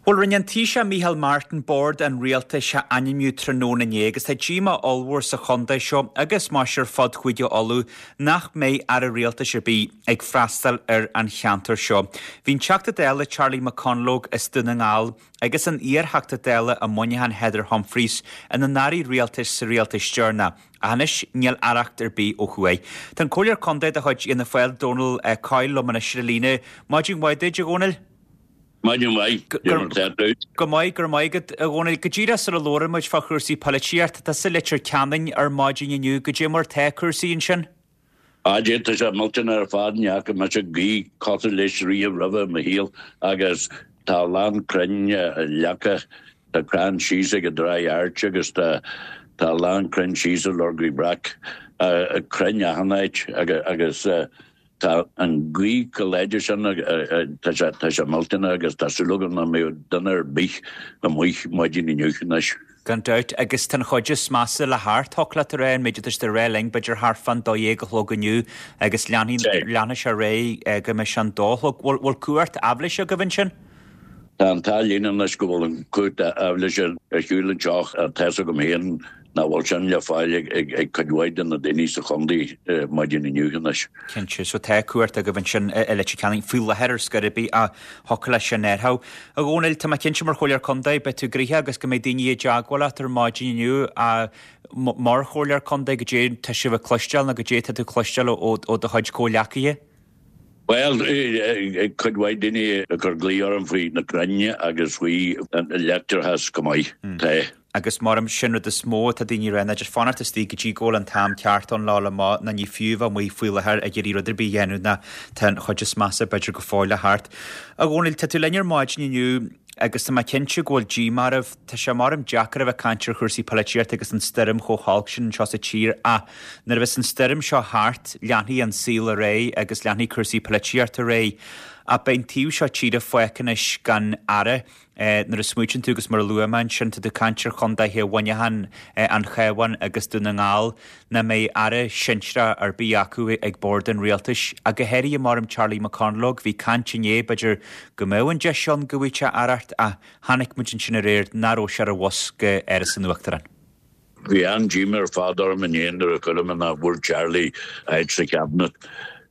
Bhuel, rinne an Taoiseach Micheál Martin bord an rialtais a ainmniú tráthnóna inné agus tá díomá ollmhór sa chontae seo agus más ar fud Chúige Uladh nach mbeidh aire rialtais ar bith ag freastal ar an cheantar seo. Bhí an Teachta Dála Charlie McConalogue as Dún na nGall agus an iar-Theachta Dála i Muineachán Heather Humphreys ina n-airí rialtais sa rialtas deireanach. Ach anois níl aireacht ar bith ó thuaidh. Tá an Comhairleoir Contae de chuid Fhianna Fáil, Dónal Coyle liom anois ar an líne. Maidin mhaith duit, a Dhónaill. Maidin mhaith, goidé mar atá tú. Go maith, go raibh maith agat, a Dhónaill. Go díreach sula labhrann muid fá chúrsaí polaitíochta, tá tusa i Leitir Ceanainn ar maidin inniu, goidé mar tá cúrsaí ansin? Ah, Dé, tá sé millteanach ar fad, ní fhaca mise gaoth cosúil leis riamh roimhe i mo shaol agus tá a lán crainn leagtha, tá crann síos ag an dTráigh Airt agus tá tá a lán crainn síos i Lorgaí Breac, crainn achan áit agus Tá an ghaoth chomh láidir sin, tá sé, tá sé millteanach agus tá súil agam nach mbeidh duine ar bith amuigh maidin inniu anois. Gan dabht, agus tá an chuid is measa le theacht, thiocfadh leat a rá, an méid atá siad ag rá linn, b'fhéidir thart fán dó dhéag a chlog inniu agus leanfaidh, leanfaidh sé ar aghaidh go mbeidh sé an dó a chlog. Bhfuil, bhfuil cumhacht aibhléise agaibh ansin? Tá an t-ádh linn anois go bhfuil an chumhacht aibhléise ar siúl anseo ach tá's agam féin nach bhfuil sin le fáil ag cuid mhaith de na daoine sa chontae maidin inniu anois. Cinnte. So tá cumhacht agaibh ansin i Leitir Ceanainn faoi láthair ar scor ar bith ach thiocfadh leis sin athrú. A Dhónaill, tá mé cinnte mar Chomhairleoir Contae, beidh tú gnoitheach agus go mbeidh daoine i dteagmháil leat ar maidin inniu ach mar Chomhairleoir Contae, goidé tá sibh ag cloisteáil nó goidé tá tú ag cloisteáil ó do chuid comhghleacaithe? Bhuel, cuid mhaith daoine ag cur glaoch orm faoi na crainn agus faoi an leictreachas go maith. Tá. Agus mar sin rud is mó atá daoine ag rá ná just fanacht istigh go dtí go bhfuil an t-am ceart ann le dhul amach ná ní fiú a bheith amuigh faoi láthair ag iarraidh rud ar bith a dhéanamh ná tá an chuid is measa b'fhéidir go fóill le theacht. A Dhónaill, tá tú linn ar maidin inniu agus tá mé cinnte go bhfuil díomá oraibh. Tá sé maram deacair a bheith ag caint ar chúrsaí polaitíochta agus an stoirm chomh holc sin anseo sa tír ach nuair a bheas an stoirm seo thart, leanfaidh an saol ar aghaidh agus leanfaidh cúrsaí polaitíochta ar aghaidh. Ach beidh an taobh seo tíre fágtha anois gan aire. Nuair a smaoitíonn tú agus mar a luaigh mé ansin, tá tú ag caint ar chontaetha Mhuineacháin, an Chabháin agus Dún na nGall, nach mbeidh aire sinsearach ar bith acu ag bord an rialtais. Ach go háirithe maram Charlie McConalogue, bhí caint inné, b'fhéidir go mbeadh an deis ann go bhfaigheadh sé aireacht ach chonaic muid ansin aréir nach raibh sé ar an bhus go Áras an Uachtaráin. Bhí an-díomá ar fad orm inné nuair a chuala mé nach bhfuair Charlie áit sa Chabinet.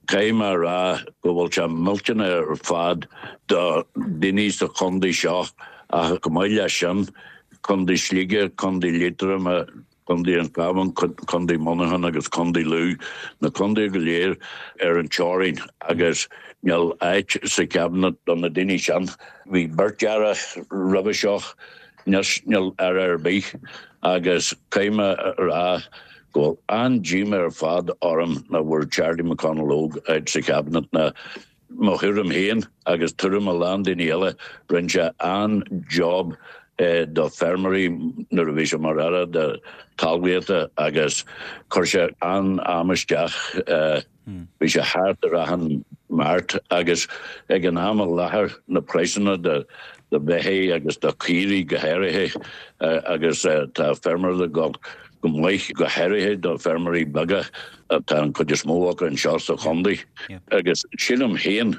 Caithfidh mé a rá go bhfuil sé millteanach ar fad do dhaoine sa chontae seo ach chomh maith leis sin, Contae Shligigh, Contae Liatroma, Contae an Chabháin, Contae Mhuineacháin agus Contae Lú, na contaetha go léir ar an teorainn agus níl áit sa Chabinet do na daoine sin. Bhí beirt aire roimhe seo, anois níl aire ar bith agus caithfidh mé a rá go bhfuil an-díomá ar fad orm nach bhfuair Charlie McConalogue áit sa Chabinet ná mo thuairim féin agus tuairim a lán daoine eile, rinne sé an-job do feirmeoirí nuair a bhí sé mar Aire do Talmhaíochta agus chuir sé an-am isteach. Bhí sé thart ar achan Mart agus ag an am i láthair na praghsanna do do bheithígh agus do chaoirigh go háirithe agus tá feirmeoirí ag gabháil go maith go háirithe do feirmeoirí beaga atá an chuid is mó acu anseo sa chontae agus sílim féin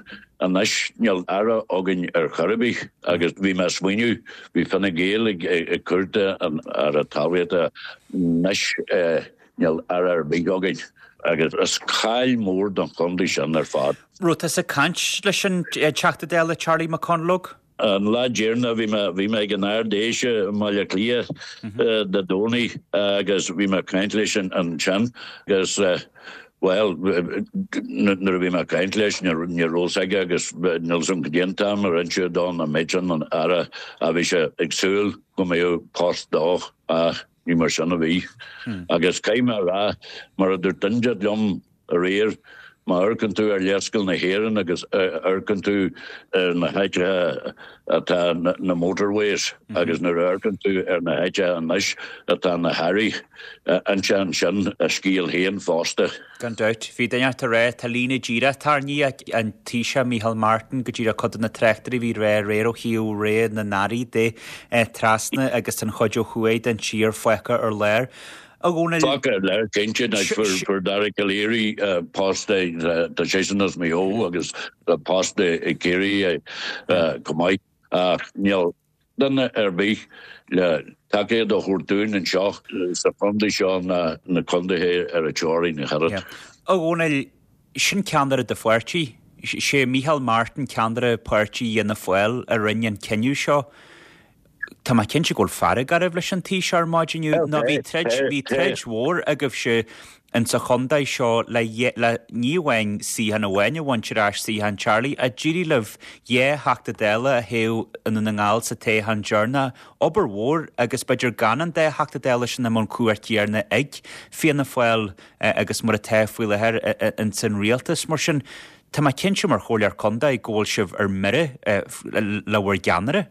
anois níl aire againn ar chor ar bith agus bhí mé ag smaoineamh bhí Fine Gael ag ag cuartú an aire talmhaíochta anois níl aire ar bith againn agus is caill mór don chontae sin ar fad. Raibh tusa ag caint leis an Teachta Dála Charlie McConalogue? An lá deireanach bhí mé bhí mé ag an Ard Fheis i mBaile Átha Cliath Dé Domhnaigh agus bhí mé ag caint leis ansin agus bhuel nuair a bhí mé ag caint leis ní raibh fhios aige agus níl fhios agam cad é an t-am ar inseadh dó nach mbeadh an aire a bhí sé ag súil go mbeadh post dó ach ní mar sin a bhí. Agus caithfidh mé a rá mar a dúirt duine liom aréir, má amharcann tú ar léarscáil na hÉireann agus amharcann tú ar na háiteacha atá na motorways agus nuair a amharcann tú ar na háiteacha anois atá na hairí, insíonn sin a scéal féin fosta. Gan dabht. Bhí duine ag rá, tá líne díreach tarraingthe ag an Taoiseach Micheál Martin go díreach cuid de na tráchtairí a bhí ag rá aréir ó thaobh rogha na n-airí de trasna agus an chuid ó thuaidh den tír fágtha ar lár. A Dhónaill. Fágtha ar lár, cinnte. Anois fuair Dara Calleary post, tá seisean as Maigh Eo agus post i gCiarraí chomh maith ach níl duine ar bith le tacaíocht a thabhairt dúinn anseo sa chontae seo ná na contaetha ar an teorainn ach oiread. A Dhónaill, sin ceannaire do pháirtí. Sé Micheál Martin ceannaire páirtí Fhianna Fáil a rinne an cinneadh seo. Tá mé cinnte go bhfuil fearg oraibh leis an Taoiseach ar maidin inniu nó bhí troid, bhí troid mhór agaibhse insa chontae seo le, le ní amháin suíochán amháin a bhaint ar ais, suíochán Charlie, ach d'éirigh libh dhá Theachta Dála a thoghadh i nDún na nGall sa toghchán deireanach. Obair mhór agus b'fhéidir gan an dá Theachta Dála sin i mbun cumhacht chéanna ag Fianna Fáil agus mar atá faoi láthair ins an rialtas. Mar sin, tá mé cinnte mar Chomhairleoir Contae go bhfuil sibh ar mire le bhur gceannaire.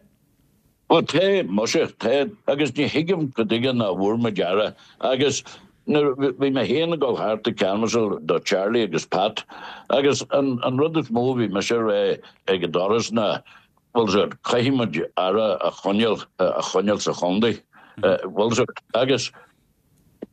Bhuel, tá, muise, tá, agus ní thuigim cad chuige nach bhfuair muid aire. Agus nuair, bhí mé féin ag dul thart ag canbhasáil do Charlie agus Pat, agus an, an rud is mó a bhí mise a rá ag an doras ná, bhfuil fhios agat, caithfidh muid aire a choinneáil, a choinneáil sa chontae, bhfuil fhios agat. Agus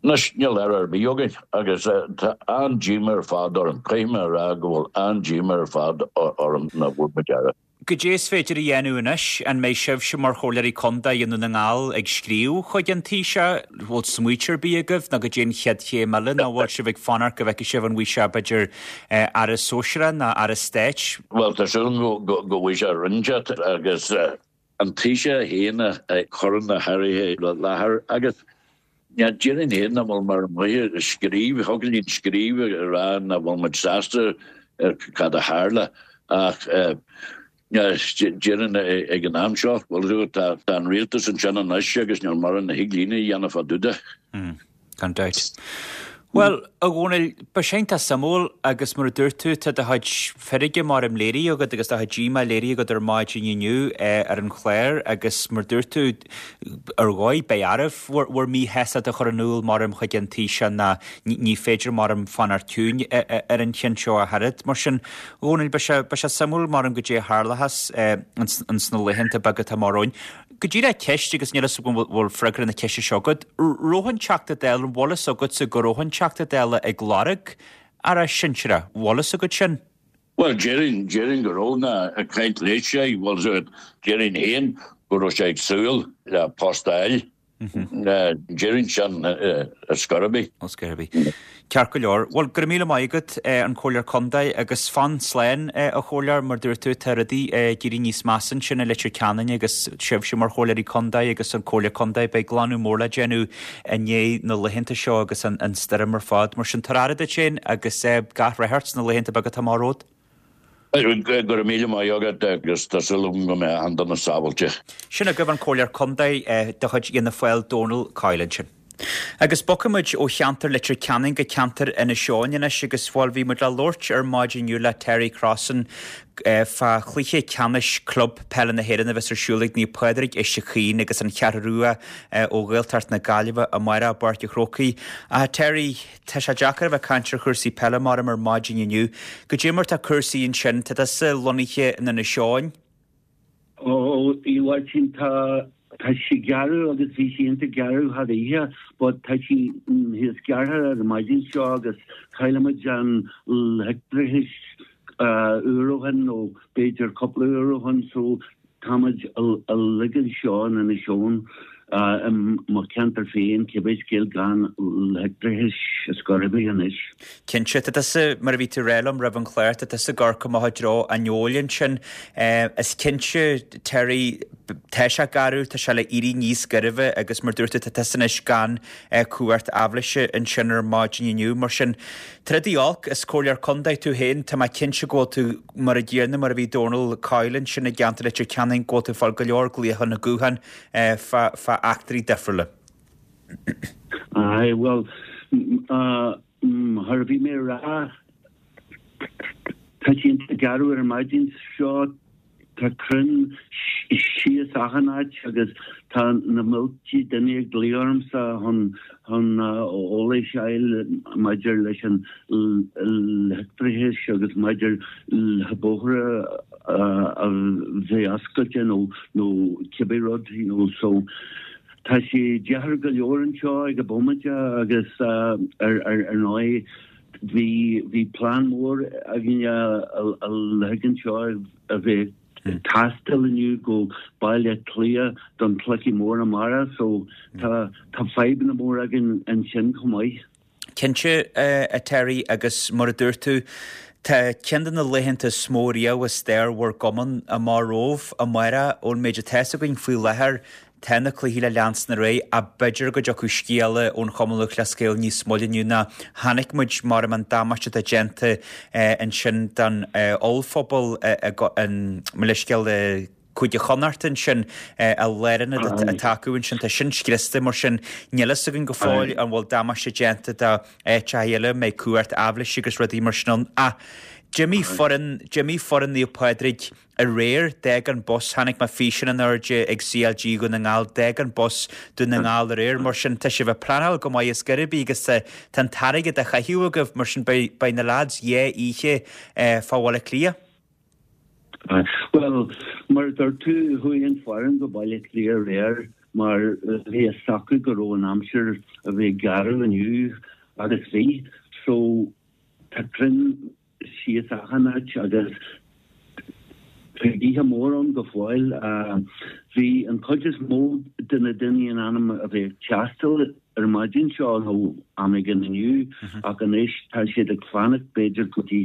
anois níl aire ar bith againn, agus tá an-díomá ar fad orm, caithfidh mé a rá go bhfuil an-díomá ar fad orm nach bhfuair muid aire. Goidé is féidir a dhéanamh anois? An mbeidh sibhse mar Chomhairleoirí Contae i nDún na nGall ag scríobh chuig an Taoiseach? Bhfuil smaointe ar bith agaibh nó goidé an chéad chéim eile nó bhfuil sibh ag fanacht go bhfeicfidh sibh an bhfaighidh sé b'fhéidir Aire Sóisearach nó Aire Stáit? Bhuel, tá súil agam go bhfaighidh sé Roinn agus an Taoiseach féin a chuireann na hairí i láthair agus déarfainn féin nach bhfuil mar mhaith scríobh, thig linn scríobh a rá nach bhfuil muid sásta ar cad a tharla ach déarfainn ag an am seo, bhuel, tá an rialtas ansin anois agus níl mórán a thig linn a dhéanamh fá dtaobh de. Gan dabht. Bhuel, a Dhónaill, beidh sé iontach suimiúil agus mar a dúirt tú, tá do chuid feirge mar am léirithe agat agus do chuid díomá léirithe agat ar maidin inniu ar an chlár agus mar a dúirt tú, ar dhóigh, beidh oraibh bhur míshástacht a chur in iúl mar am chuig an Taoiseach ná ní féidir mar am fanacht ciúin ar an cheann seo ach oiread. Mar sin, a Dhónaill, beidh sé, beidh sé suimiúil mar am goidé a tharlóchas ins na laethanta beaga atá amach romhainn. Go díreach ceist agus níl fhios agam an bhfuil freagra na ceiste seo agat. Raibh an Teachta Dála, an bhfuil fhios agatsa go raibh an Teachta Dála ag lorg Aire Sinsearach? Bhfuil fhios agat sin? Bhuel, déarfainn, déarfainn go raibh ná ag caint leis sé, bhfuil fhios agat, déarfainn féin go raibh sé ag súil le post a fháil. Déarfainn sin ar scor ar bith. Ar scor ar bith. Ceart go leor. Bhuel, go raibh míle maith agat, an Comhairleoir Contae, agus fan slán, a Chomhairleoir, mar dúirt tú, tá rudaí ag éirí níos measa ansin i Leitir Ceanainn agus sibhse mar Chomhairleoirí Contae agus an Comhairle Contae, beidh glanadh mór le déanamh i ndiaidh na laethanta seo agus an stoirm ar fad. Mar sin, tabhair aire duit féin agus gach rath ort sna laethanta beaga atá amach romhat. Go raibh míle maith agat agus tá súil agam go mbeidh achan duine sábháilte. Sin agaibh an Comhairleoir Contae de chuid Fhianna Fáil, Dónal Coyle ansin. Agus bogfaidh muid ó cheantar Leitir Ceanainn go ceantar Inis Eoghain anois agus bhuel bhí muid le labhairt ar maidin inniu le Terry Crossan fá chluiche ceannais club peile na hÉireann a bheas ar siúl ag Naomh Pádraig Uisce Chaoin agus an Cheathrú Rua ó Ghaeltacht na Gaillimhe amárach i bPáirc an Chrócaigh. Ah Terry, tá sé deacair a bheith ag caint ar chúrsaí peile mar ar maidin inniu. Goidé mar tá cúrsaí ansin, tá tusa lonnaithe in Inis Eoghain? Ó, a Mháirtín, tá tá sé garbh agus bhí sé iontach garbh thar oíche, but tá sé níos giorra ar an maidin seo agus chaill muid an leictreachas uair ó shin nó b'fhéidir cúpla uair ó shin so tá muid uilig anseo in Inis Eoghain i mo cheantar féin cibé scéal gan leictreachas ar scor ar bith anois. Cinnte, tá tusa, mar a bhí tú ag rá liom roimh an chlár, tá tusa ag amharc amach i dtreo an fheoil ansin. Is cinnte, Terry, tá sé garbh, tá sé le éirí níos gairbhe agus mar dúirt tú, tá tusa anois gan cumhacht aibhléise ansin ar maidin inniu. Mar sin, troid olc, is comhairleoir contae tú féin, tá mé cinnte go bhfuil tú mar a gcéanna mar a bhí Dónal Coyle ansin i gceantar Leitir Ceanainn, go bhfuil tú ag fáil go leor glaocha na gutháin fá fá eachtraí difriúla. Aye, well, mar a bhí mé a rá, tá sé iontach garbh ar an maidin seo, tá crainn síos achan áit agus tá na mílte duine ag glaoch ormsa chun chun eolais a fháil maidir leis an leictreachas agus maidir le bóithre a bheith oscailte nó nó cibé rud you know so tá sé deacair go leor anseo ag an bhomaite agus ar ar ar ndóigh bhí bhí plean mór againn a uilig anseo a bheith ag taisteal inniu go Baile Átha Cliath don chluiche mór amárach so tá tá fadhbanna mór againn ansin chomh maith. Cinnte, a Terry, agus mar a dúirt tú, tá ceann de na laethanta is mó riamh i stair bhur gcumann amach romhaibh amárach ón méid atá fhios againn faoi láthair Tá na cluichí le leanstan ar aghaidh ach b'fhéidir go dtiocfadh scéala ón Chumann Lúthchleas Gael níos moille inniu ná chonaic muid mar an damáiste atá déanta ansin don ollphobal mo leithscéal i Cúige Chonnacht ansin a lárionad atá acu ansin tá sin scriosta mar sin níl fhios againn go fóill an bhfuil damáiste déanta do áiteacha eile mbeidh cumhacht aibhléise agus rudaí mar sin ann ach d'imigh foireann d'imigh foireann Naomh Pádraig aréir, d'fhág an bus, chonaic mé físeán in airde ag CLG Dhún na nGall, d'fhág an bus Dún na nGall aréir, mar sin tá sibh ag pleanáil go maith is gurb í agus tá an t-airgead á chaitheamh agaibh, mar sin beidh, beidh na lads dhá oíche fá Bhaile Átha Cliath. Bhuel, mar a dúirt tú, chuaigh an foireann go Baile Átha Cliath aréir mar bhí fhios acu go raibh an aimsir a bheith garbh inniu agus bhí, so tá crainn síos achan áit agus tá gaotha mór ann go fóill. Bhí an chuid is mó de na daoine in ainm a bheith ag taisteal ar an maidin seo nó am éigin inniu ach anois tá siad ag fanacht b'fhéidir go dtí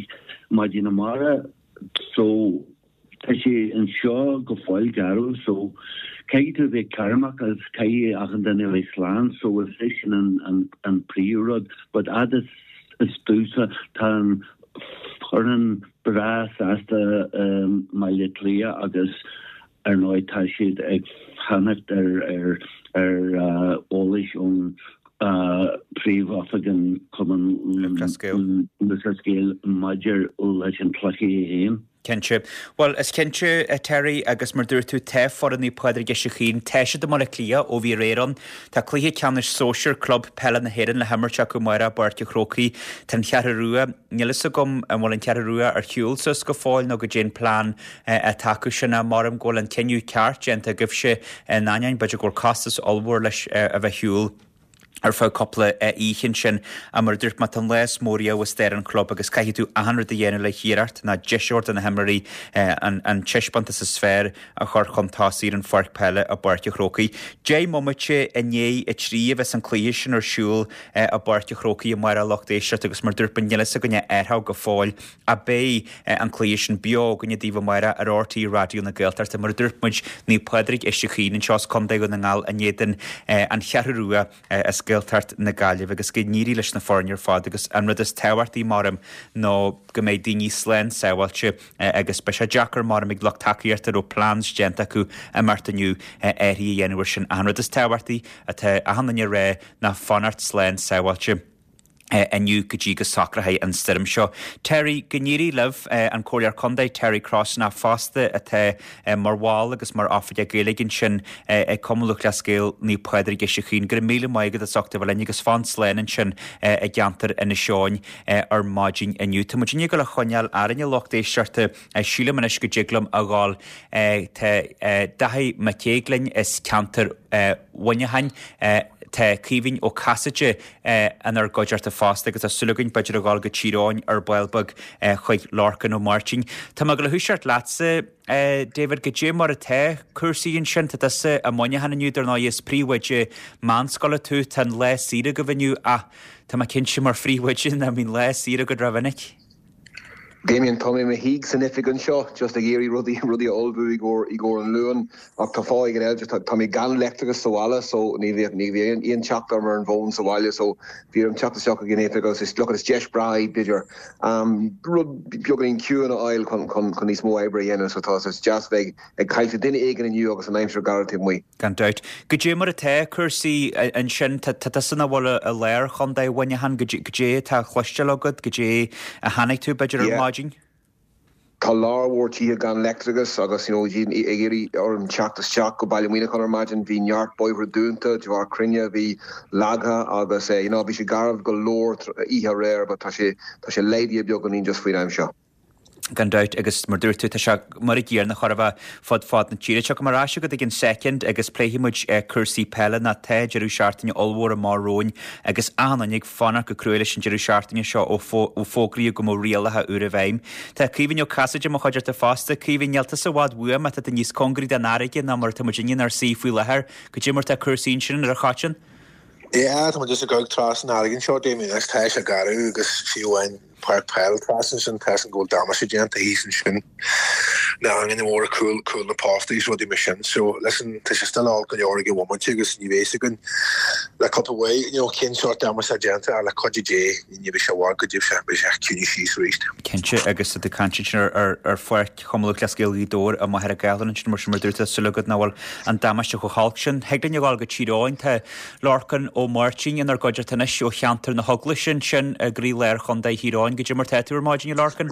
maidin amárach so tá sé anseo go fóill garbh so caithfidh tú a bheith cúramach agus caithfidh achan duine a bheith slán so is é sin an an an príomhrud but fhad is is domhsa tá an foireann breá sásta i mBaile Átha Cliath agus ar ndóigh tá siad ag fanacht ar ar ar eolais ón Príomh-Oifig an Chumann Lúthchleas Gael maidir leis an cluiche é féin. Cinnte. Bhuel, is cinnte, a Terry, agus mar dúirt tú, tá foireann Naomh Pádraig Uisce Chaoin, tá siad i mBaile Átha Cliath ó bhí aréir ann. Tá cluiche ceannais sóisir club peile na hÉireann le himirt acu amárach i bPáirc an Chrócaigh. Tá an Cheathrú Rua, níl fhios agam an bhfuil an Cheathrú Rua ar shiúl suas go fóill nó goidé an plean atá acu sin ach maram go bhfuil an cinneadh ceart déanta agaibhse in ainneoin b'fhéidir go bhfuil costas ollmhór leis a bheith ar shiúl. ar feadh cúpla oíche ansin. Mar a dúirt mé, tá an lá is mó riamh i stair an chlub agus caithfidh tú achan rud a dhéanamh le hiarracht ná deis a thabhairt do na himreoirí an taispeántas is fearr a chur chun tosaigh ar an pháirc peile i bPáirc an Chrócaigh. Deich mbomaite i ndiaidh a trí a bheas an cluiche sin ar siúl i bPáirc an Chrócaigh amárach a lucht éisteachta agus mar a dúirt mé níl fhios againne árthach go fóill ach beidh an cluiche sin beo againne daoibh amárach ar RTÉ Raidió na Gaeltachta. Mar a dúirt muid, Naomh Pádraig Uisce Chaoin anseo as Contae Dhún na nGall in éadan an Cheathrú Rua as Gaeltacht na Gaillimhe agus go n-éirí leis na foirne ar fad agus an rud is tábhachtaí maram ná go mbeidh daoine slán sábháilte agus beidh sé deacair maram ag lucht tacaíochta a raibh plans déanta acu imeacht inniu athruithe a dhéanamh air sin. Ach an rud is tábhachtaí atá achan duine a rá ná fanacht slán sábháilte. inniu go dtí go socróidh an stoirm seo. Terry, go n-éirí libh an Comhairleoir Contae Terry Crossan fosta atá mar bhall agus mar oifigeach Gaeilge ansin ag Cumann Lúthchleas Gael Naomh Pádraig Uisce Chaoin. Go raibh míle maith agat as ucht a bheith linn agus fan slán ansin i gceantar Inis Eoghain ar maidin inniu. Tá muid ag dul a choinneáil orainn a lucht éisteachta sílim anois go dtig liom a ghabháil tá Daithí Mac Aodha as ceantar Mhuineacháin. Tá Caoimhín Ó Casaide inár gcuideachta fosta agus tá súil againn b'fhéidir a ghabháil go Tír Eoghain ar ball beag chuig Lorcan Ó Máirtín. Tá mé ag gabháil a thoiseacht leatsa, David, goidé mar atá cúrsaí ansin, tá tusa i Muineachán inniu dar ndóigh is príomhoide meánscoile tú, tá an lá saor agaibh inniu ach tá mé cinnte mar phríomhoide nach mbíonn lá saor agat rómhinic. Damien, tá mé i mo shuí san oifig anseo just ag iarraidh rudaí rudaí a ullmhú i gcomhair i gcomhair an Luain ach tá fáth éigin eile just tá mé gan leictreachas sa bhaile so ní bhíodh ní bhí aon aon teacht orm ar an bhfón sa bhaile so bhí orm teacht isteach ag an oifig agus is look is deis breá é b'fhéidir um, rud beagáinín ciúin a fháil chun chun chun níos mó oibre a dhéanamh so tá is deas bheith ag caint le duine éigin inniu agus an aimsir garbh taobh amuigh. Gan dabht. Goidé mar atá cúrsaí ansin tá tusa ina bhfuil i lár chontae Mhuineacháin goidé atá cloisteáil agat goidé a chonaic tú b'fhéidir ar maidin? Tá lear mhór tithe gan leictreachas agus you know, ag iarraidh orm teacht isteach go Baile Mhuineacháin ar maidin bhí neart bóithre dúnta de bharr crainn a bhí leagtha agus eh, you know, bhí sé garbh go leor oíche aréir, but tá sé tá sé laghdaithe beagáinín just faoin am seo. Gan dabht agus mar dúirt tú tá sé mar an gcéanna chóir a bheith fud fad na tíre. Tiocfaidh mé ar ais chugat i gceann soicind agus pléifidh muid cúrsaí peile ná tá deireadh seachtaine ollmhór amach romhainn agus achan duine ag fanacht go crua leis an deireadh seachtaine seo ó fógraíodh go mbeadh rialacha úra i bhfeidhm. Tá Caoimhín Ó Casaide i mo chuideachta fosta. Caoimhín, níl tusa i bhfad uaim ach tá tú níos cóngaraí don fharraige ná mar atá muid inár suí faoi láthair. Goidé mar tá cúrsaí ansin ar an Choiteann? Yeah, tá muid just ag amharc trasna an fharraige anseo Damien agus tá sé garbh agus fiú amháin páirc peile trasna sin tá an go bhfuil damáiste déanta thíos ansin na hanganna móra cúl cúl na postaí is rudaí mar sin so listen tá sé still olc go leor ag an bhomaite agus ní bheidh againn le cúpla uair you know cén sórt damáiste déanta le cuidiú Dé ní bheidh sé i bhfad go dtí sé beidh sé ciúin síos arís. Cinnte agus tá caint ansin ar ar ar pháirc Chumann Lúthchleas Gael Ghaoth Dobhair i Machaire Gathlán ansin mar sin mar dúirt tá súil agat nach bhfuil an damáiste chomh holc sin. Thig linn a ghabháil go Tír Eoghain tá Lorcan Ó Máirtín inár gcuideachta anois ó cheantar na hEaglaise ansin i gcroílár Chontae Thír Eoghain goidé mar tá tú ar maidin a Lorcan.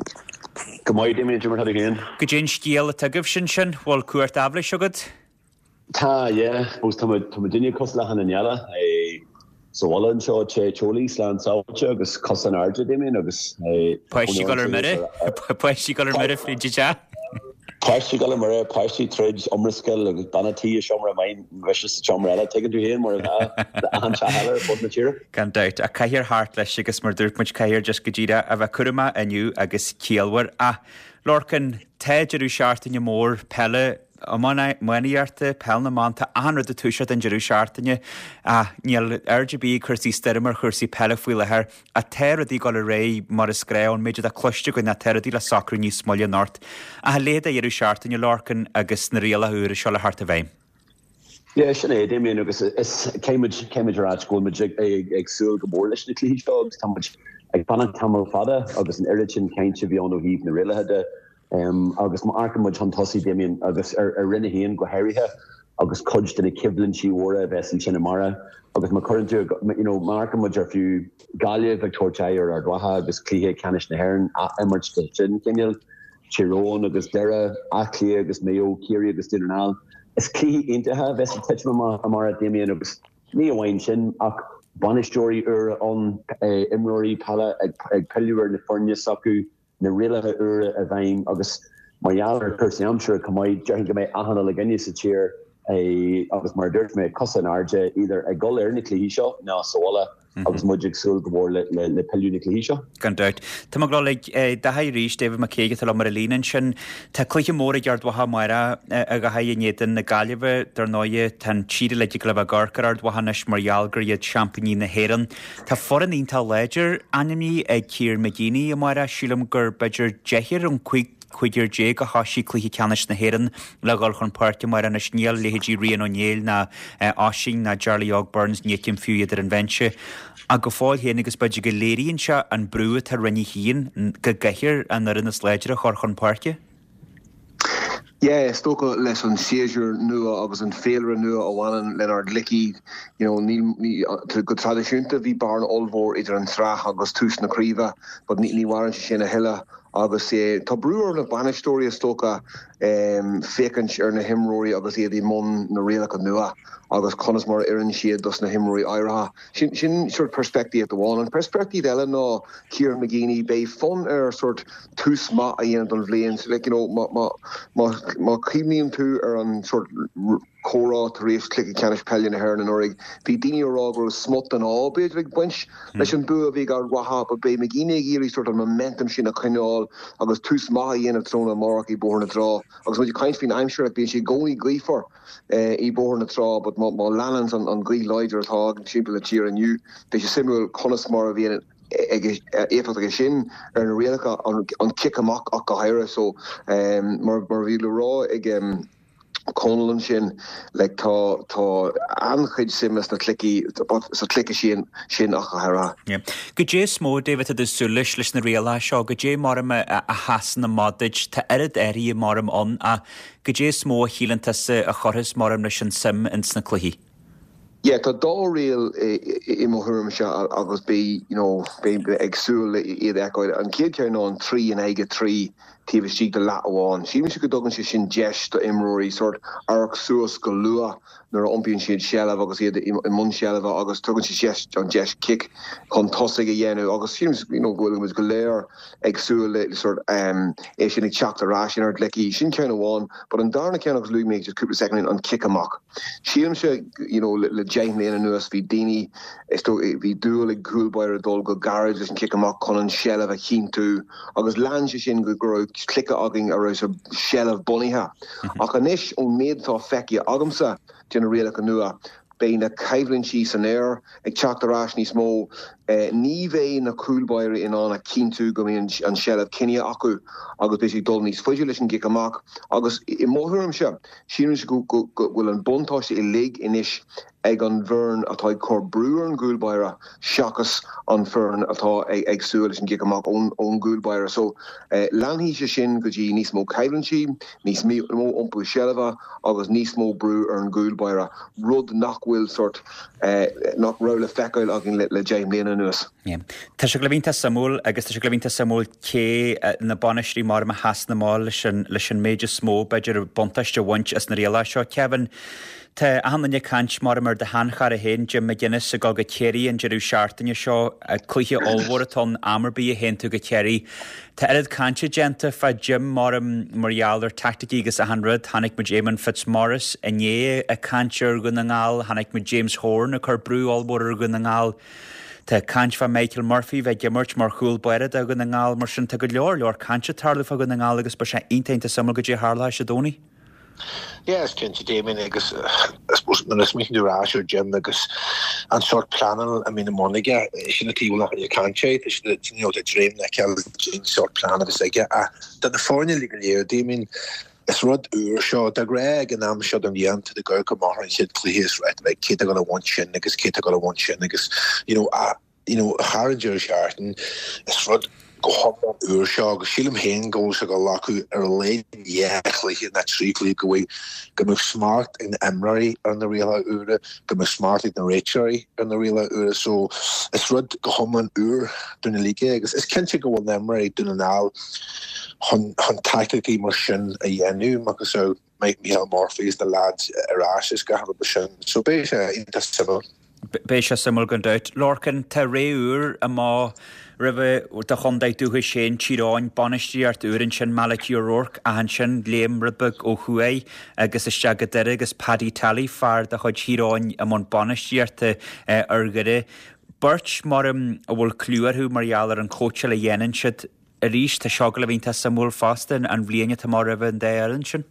Go maith Damien mar féin. Goidé an scéal atá agaibh sin sin bhfuil cuairt aibhléis agat? Tá yeah, tá tá duine cosúil le achan duine eile sa bhaile anseo te teolaí slán sábháilte agus cos in airde Damien agus Páistí ag dul ar mire Páistí ag dul ar mire fríd te. Páistí ag dul ar mire páistí tríd iomrascáil agus bean an tí i seomra amháin mise sa seomra eile tuigeann tú féin mar achan teach eile ar fud na tíre. Gan dabht a caithfear thart leis agus mar dúirt muid caithfear just go díreach a bheith cúramach inniu agus ciallmhar ach Lorcan tá deireadh seachtaine mór peile iománaíochta peil na mban tá achan rud ag toiseacht an deireadh seachtaine ach níl aird ar bith ag cúrsaí stoirme ar chúrsaí peile faoi láthair ach tá rudaí ag dul ar aghaidh mar is gnách ón méid atá cloiste againn ná tá rudaí le socrú níos moille anocht. Ach a leithéid de dheireadh seachtaine Lorcan agus na rialacha úra seo le theacht i bhfeidhm. Yeah, sin é Damien agus is céimid céimid ar áit go bhfuil muid ag, ag, ag súil go mór leis na cluichí seo agus tá muid ag fanacht tamall fada agus an oiread sin cainte a bhí ann ó thaobh na rialacha de um, agus má amharcann muid chun tosaigh Damien agus ar, ar Roinn a haon go háirithe agus cuid de na coimhlintí móra a bheas ansin amárach agus má chuireann tú you know, má amharcann muid ar fiú Gaillimh ag tabhairt aghaidh ar Ard Mhacha agus cluiche ceannais na hÉireann a imirt de sin cineál Tír Eoghain agus Doire, Áth Cliath agus Mayo, Ciarraí agus Dún na nGall. Is cluichí iontacha a bheas ag titim amach amárach Damien agus ní amháin sin ach bainisteoirí úra ann eh, imreoirí peile ag, ag pilleadh ar na foirne s'acu na rialacha úra i bhfeidhm agus mar gheall ar chúrsaí aimsire chomh maith déarfainn go mbeidh achan uile dhuine sa tír eh, agus mar dúirt mé cosa in airde idir ag dul ar na cluichí seo ná sa bhaile agus muid ag súil go mór le, le, le pilleadh na cluichí seo. Gan dabht. Tá mé ag dul ag Daithí arís David McCaig atá liom ar an líne ansin. Tá cluiche mór ag Ard Mhacha amárach a Dhaithí in éadan na Gaillimhe dar ndóigh tá an tír uilig ag le bheith ag amharc ar Ard Mhacha anois mar gheall gur iad seaimpíní na hÉireann. Tá foireann iontach láidir ainmnithe ag Ciar McGeeney amárach sílim gur b'fhéidir deichniúr an cúig cúigear déag a thoisigh cluiche ceannais na hÉireann le dhul chun páirce amárach anois níl leithéidí Rian Ó Néill ná Oisín ná Jarly Óg Burns ní fheicim fiú iad ar an bhinse. Ach go fóill féin agus b'fhéidir go léiríonn sé an brú atá orainne féin go gcaithfear an fhoireann is láidre a chur chun páirce. Yeah, is dócha leis an séasúr nua agus an féilire nua a bhaineann lenár gcluichí, you know, níl, ní, go traidisiúnta bhí bearna ollmhór idir an tsraith agus tús na craoibhe, but ní, ní mhaireann sé sin a thuilleadh agus eh, tá brú ar na bainisteoirí is dócha um, féachaint ar na himreoirí agus iad i mbun na rialacha nua agus conas mar a oireann siad dos na himreoirí áirithe. Sin, sin sort peirspictíocht amháin. An peirspictíocht eile ná Kieran McGeeney, beidh fonn air sort tús maith a dhéanamh don bhliain. So, like, you know, má, má, má, má chuimhníonn tú ar an sort comhrá tar éis cluiche ceannais peile na hÉireann anuraidh, bhí daoine ag rá go raibh smut den ádh b'fhéidir ag baint leis an bua a bhí ag Ard Mhacha, but beidh McGeeney ag iarraidh sort an momentum sin a choinneáil agus tús maith a dhéanamh tráthnóna amárach i Bóthar na Trá. Agus muid ag caint faoin aimsir, like, bíonn sé i gcónaí gaofar eh, i Bóthar na Trá, but má, má leanann an, an ghaoth láidir atá againn timpeall na tíre inniu, beidh sé suimiúil conas mar a bhíonn ag éifeacht aige sin ar na rialacha an, an cic amach ach go háirithe. So um, mar, mar bhí le rá ag um, Conal ansin like, tá tá an-chuid suime sna cluichí sa chluiche sin sin ach go háirithe. Yeah. Goidé is mó David atá tú ag súil leis leis na rialacha seo, goidé mar a a sheasann amach duit, tá oiread athruithe mar ann ach goidé is mó a shíleann tusa a chuirfeas mar leis an suim ins na cluichí. Yeah, tá dá riail i mo thuairimse agus beidh you know, beidh ag súil iad a fheiceáil. An chéad cheann ná an trí in aghaidh a trí taobh istigh de leath amháin. Sílimse go dtugann sé sin deis do imreoirí sort amharc suas go luath nuair a iompaíonn siad seilbh agus iad i mbun seilbhe agus tugann sé deis an deis cic chun tosaigh a dhéanamh agus sílim you know, go bhfuil muid go léir ag súil le sort um, é sin ag teacht ar ais inár gcluichí. Sin ceann amháin, but an darna ceann agus luaigh mé just cúpla second an cic amach. Sílimse you know, le, le deich mbliana anuas bhí daoine is dó bhí dúil ag cúl báire dul go gairid leis an cic amach chun an seilbh a chinntiú agus lean sé sin go go raibh cluiche againn a raibh sa seilbh bunaithe. Ach anois ón méid atá feicthe agamsa de na rialacha nua, beidh na coimhlintí san aer ag teacht ar ais níos mó. Eh, ní bheidh na cúlbáirí in ann a chinntiú go mbíonn an seilbh cinnte acu agus beidh siad dul níos faide leis an gcic amach agus i mo thuairimse sílimse go go go bhfuil an buntáiste uilig anois ag an bhfoireann atá ag cur brú ar an gcúlbáire seachas an foireann atá ag, ag súil leis an gcic amach ón, ón gcúlbáire. So eh, leanfaidh sé sin go dtí níos mó coimhlintí, níos mó iompú seilbhe agus níos mó brú ar an gcúlbáire, rud nach bhfuil sort eh, nach raibh le feiceáil againn le, le deich mbliana anuas. Yeah. Tá sé le bheith suimiúil agus tá sé le bheith suimiúil cé eh, na bainisteoirí mar a sheasann amach leis an leis an méid is mó b'fhéidir buntáiste a bhaint as na rialacha seo. Kevin, Tá achan duine ag caint mar mar do sheanchara féin Jim McGuinness ag dul go Ciarraí an deireadh seachtaine seo cluiche ollmhór atá ann am ar bith a théann tú go Ciarraí. Tá oiread cainte déanta fá Jim mar mar gheall ar taicticí agus achan rud, chonaic muid Eamon Fitzmaurice inné ag caint ar Dhún na nGall, chonaic muid James Horan ag cur brú ollmhór ar Dhún na nGall. Tá caint fá Michael Murphy bheith ag imirt mar chúl báire do Dhún na nGall mar sin tá go leor leor cainte ag tarlú fá Dhún na nGall agus beidh sé iontach suimiúil goidé a tharlóidh Dé Domhnaigh. Yeah, is cinnte Damien agus I suppose nuair a smaoiníonn tú ar ais ar Jim agus an sort pleanáil a bhíonn i mbun aige sin an taobh nach bhfuil caint é you know, dream na ceil sort plan agus aige ach do na foirne go léir Damien is rud úr seo de ghnáth ag an am seo den bhliain de go go maith an chéad chluiche is right like cé go a bhain sin agus cé go a bhain sin agus you know a you know thar an deireadh seachtaine is rud go hiomlán úr seo agus sílim féin go bhfuil sé go leacu ar a laghad dhá chluiche nó trí chluiche go bhfuil go mbeadh smacht ag na himreoirí ar na rialacha úra, go mbeadh smacht ag na réiteoirí ar na rialacha úra, so is rud go hiomlán úr dúinn uilig agus is cinnte go bhfuil na himreoirí Dún na nGall chun chun taicticí mar sin a dhéanamh agus so Michael Murphy is na lads ar ais is gach rud sin so beidh sé iontach suimiúil. Beidh sé suimiúil gan dabht. Lorcan tá ré úr amach roimh do chontae dúchais féin Tír Eoghain bainistíocht úr ansin Malachy O'Rourke ach ansin léim rud beag ó thuaidh agus isteach go Doire agus Paddy Tally fear de chuid Thír Eoghain i mbun bainistíochta ar Dhoire. Beirt mar a bhfuil clú orthu mar gheall ar an chóitseáil a dhéanann siad arís tá seo le bheith suimiúil fosta an bhliain atá amach roimh an dá fhoireann sin.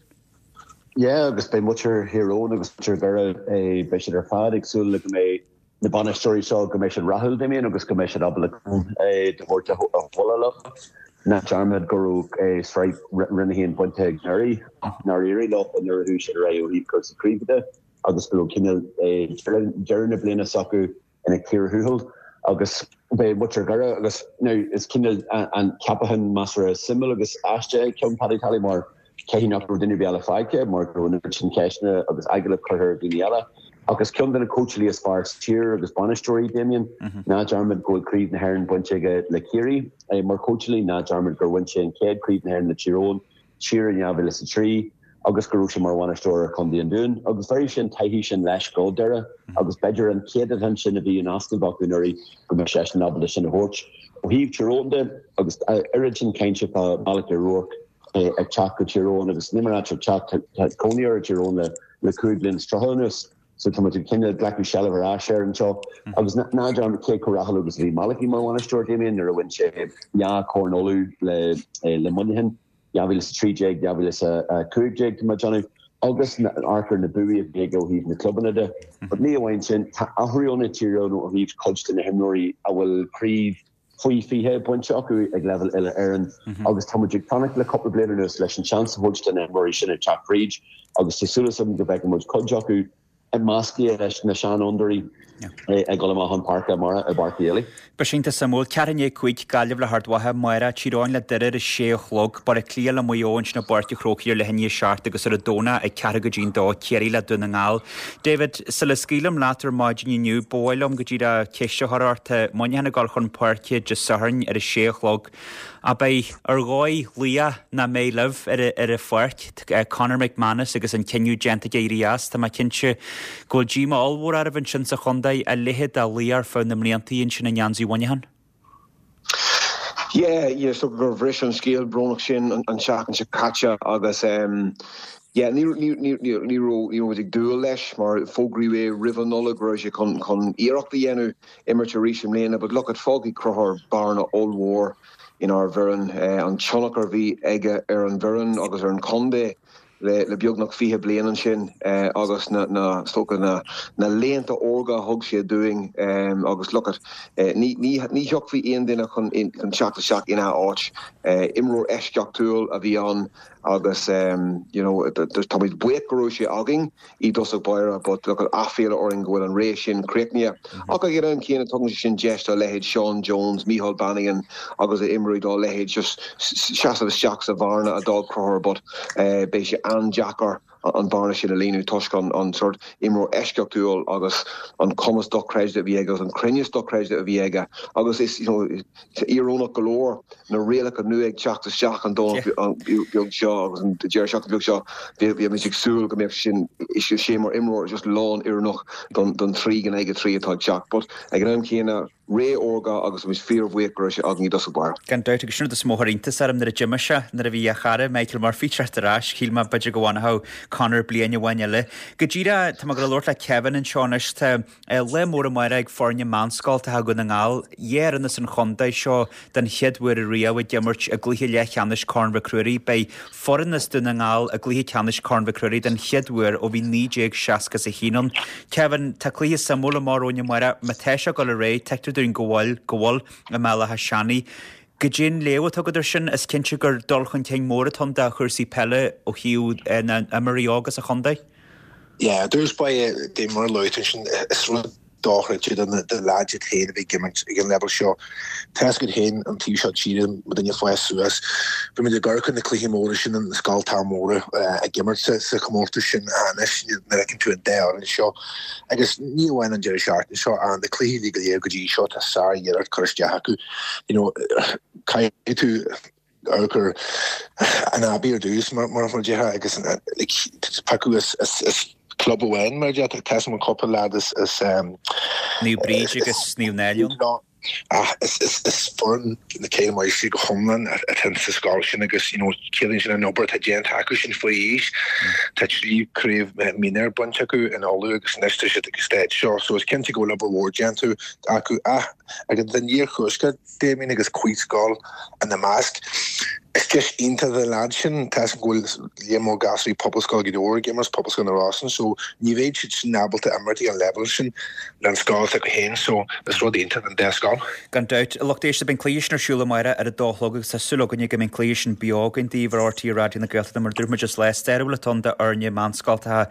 Yeah, agus beidh muintir Thír Eoghain agus muintir Dhoire beidh siad ar fad ag súil le go mbeidh na bainisteoirí seo go mbeidh siad rathúil Damien agus go mbeidh siad ábalta de thabhairt a bhualadh leo. Ná dearmad go raibh sraith Roinn a haon bainte ag anuraidh ach nár éirigh leo nuair a chuaigh siad ar aghaidh ó thaobh cúrsaí craoibhe de agus go raibh cineál deireadh na bliana s'acu ina cíor thuathail agus beidh muintir Dhoire agus now is cineál an ceapachán measartha suimiúil agus aisteach é ceann Paddy Tally mar caithfidh nach raibh duine ar bith eile faighte mar go raibh an oiread sin ceisteanna agus agallamh curtha ar dhaoine eile. Ach is ceann de na cóitseálaí is fearr sa tír agus bainisteoirí, Damien. Ná dearmad go bhfuil Craobh na hÉireann bainte aige le Ciarraí mar chóitseálaí, ná dearmad gur bhain sé an chéad Chraobh na hÉireann le Tír Eoghain siar in dhá mhíle is a trí agus go raibh sé mar bhainisteoir ar Chontae an Dúin. Agus bheir sé an taithí sin leis go Doire agus b'fhéidir an céatadán sin a bhí in easnamh acu anuraidh go mbeidh seisean ábalta sin a thabhairt. Ó thaobh Tír Eoghain de, agus oiread sin cainte fá Malachy O'Rourke ag teacht go Tír Eoghain agus ní mar ag teacht, tá cónaí air i dTír Eoghain le cúig bliana is tríocha anuas. So tá muid ag cineál glacadh seilbh ar ais air anseo. Agus ná dearmad cé chomh rathúil agus a bhí Malachy mar bhainisteoir, Damien, nuair a bhain sé dhá Chorn Uladh le le Muineachán, dhá mhíle is a trí déag, dhá mhíle is a cúig déag tá mé ag déanamh, agus amharc ar na buaí a bhí aige ó thaobh na clubanna de. But ní amháin sin, tá athrú ann i Tír Eoghain ó thaobh cuid de na himreoirí a bhfuil craobh faoi fiche bainte acu ag leibhéal uile-Éireann agus tá muid ag fanacht le cúpla bliain anuas leis an seans a thabhairt do na himreoirí sin ag teacht fríd agus tá súil agam go bhfeicfidh muid cuid acu measctha leis na seanfhondúirí ag dul amach chun páirce amárach i bPáirc Uí Éilí. Beidh sé iontach suimiúil. Ceathrú i ndiaidh a cúig, Gaillimh le hArd Mhacha, amárach, Tír Eoghain le Doire ar a sé a chlog, Baile Átha Cliath le Maigh Eo ansin i bPáirc an Chrócaigh ar leath i ndiaidh a seacht agus ar an Domhnach ag ceathrú go dtí'n dó, Ciarraí le Dún na nGall. David, sula scaoilim leat ar maidin inniu, ba mhaith liom go díreach ceist a chur ort. Tá Muineachán ag dul chun páirce Dé Sathairn ar a sé a chlog. Ab é ar dhóigh laoch nach mbeidh libh ar an pháirc, Conor McManus agus an cinneadh déanta aige éirí as. Tá mé cinnte go bhfuil díomá ollmhór oraibh ansin sa chontae, a leithéid de laoch ar feadh na mblianta ansin i ngeansaí Mhuineacháin. Yeah, yeah, so gur bhris an scéal brónach sin an tseachtain seo caite agus um, yeah, ní ní ní ní ní raibh ní raibh muid ag dúil leis mar fógraíodh é roimh an Nollaig go raibh sé chun chun iarracht a dhéanamh imirt arís i mbliana, but look at fágfaidh Conchúr bearna ollmhór inár bhfoireann, an tionchar a bhí aige ar an bhfoireann agus ar an chontae le le beagnach fiche bliain ansin agus na na is dócha na na laethanta órga a thug sé dúinn agus look at ní ní ní thiocfaidh aon duine chun chun teacht isteach ina áit. Imreoir eisceachtúil a bhí ann agus you know táimid buíoch go raibh sé againn i dtosach báire but look at aiféala orainn go bhfuil an ré sin críochnaithe. Ach ag an am céanna tugann sé sin deis do leithéid Sean Jones, Micheál Bannigan agus a imreoirí dá leithéid just seasamh isteach sa bhearna a d'fhág Conchúr but beidh sé an-deacair an bhearna sin a líonadh toisc an an sort imreoir eisceachtúil agus an cumas dochreidte a bhí aige agus an cruinneas dochreidte a bhí aige agus is you know íorónach go leor na rialacha nua ag teacht isteach an Domhnach beag seo agus an deireadh seachtaine beag seo bhí muid ag súil go mbeadh sin sé mar imreoir just lán oiriúnach don don trí in aghaidh a trí atá ag teacht but ag an am céanna ré órga agus muid fíorbhuíoch go raibh sé againn i dtosach báire. Gan dabht agus sin rud is mó a chuir iontas orm nuair a d'imigh sé, nuair a bhí a chara Michael Murphy teacht ar ais, shíl mé b'fhéidir go bhfanfadh Conor bliain amháin eile. Go díreach, tá mé ag labhairt le Kevin anseo anois, tá lá mór amárach ag foirne meánscoltacha Dhún na nGall, dhá fhoireann as an chontae seo den chéad uair ariamh ag imirt i gcluiche leathcheannais Corn Mhic Ruairí. Beidh foireann as Dún na nGall i gcluiche ceannais Corn Mhic Ruairí den chéad uair ó bhí naoi déag seasca is a haon ann. Kevin, tá cluiche suimiúil amach romhainn amárach. Má tá sé ag dul ar aghaidh, tuigtear dúinn go bhfuil, go bhfuil i mBéal Átha Seanaidh. Goidé an léamh atá agat air sin, is cinnte gur dul chun cinn mór atá ann do chúrsaí peile ó thaobh na n-imreoirí óga sa chontae. Yeah, dúirt ba dé mar luaigh tú sin is rud dochreidte do na leaids iad féin a bheith ag imirt ag an leibhéal seo. Tá a fhios agat féin an taobh seo tíre, muidinne ag fás suas, bhí muid ag amharc ar na cluichí móra sin, na scoltacha móra ag imirt sa chomórtas sin anois nuair a fheiceann tú an dá fhoireann seo agus ní amháin an deireadh seachtaine seo ach na cluichí uilig go léir go dtí seo tá sár-iarracht curtha isteach acu. You know, caithfidh tú amharc ar an Abbey ar dtús mar mar a déarfá agus like piocadh as as as club amháin mar a déarfá tá an cúpla leaid as as Naomh Bríd agus Naomh Náille. Ach is is is foireann na céad máistrí go hiomlán atá sa scoil sin agus you know ciallaíonn sin an obair atá déanta acu sin faoi aois. Tá trí craobh mionúir bainte acu in Uladh agus anois tá siad ag an stáid seo so is cinnte go bhfuil obair mhór déanta acu ach ag an iarthuaisceart Damien agus Cuid Scoil ina measc. Is deis iontach do na leaids sin, tá a fhios agam go bhfuil líon mór gasúraí Pobalscoil Ghaoth Dobhair ag imirt, Pobalscoil na Rosann, so ní bheidh siad sin ábalta imirt ag an leibhéal sin le an scoil s'acu féin, so is rud iontach don dá scoil. Gan dabht, a lucht éisteachta, beidh an cluiche sin ar siúl amárach ar a dó a chlog agus tá súil againne go mbeidh an cluiche sin beo againn daoibh ar RTÉ Raidió na Gaeltachta. Mar a dúirt muid, is lá stairiúil atá ann d'fhoirne meánscoltacha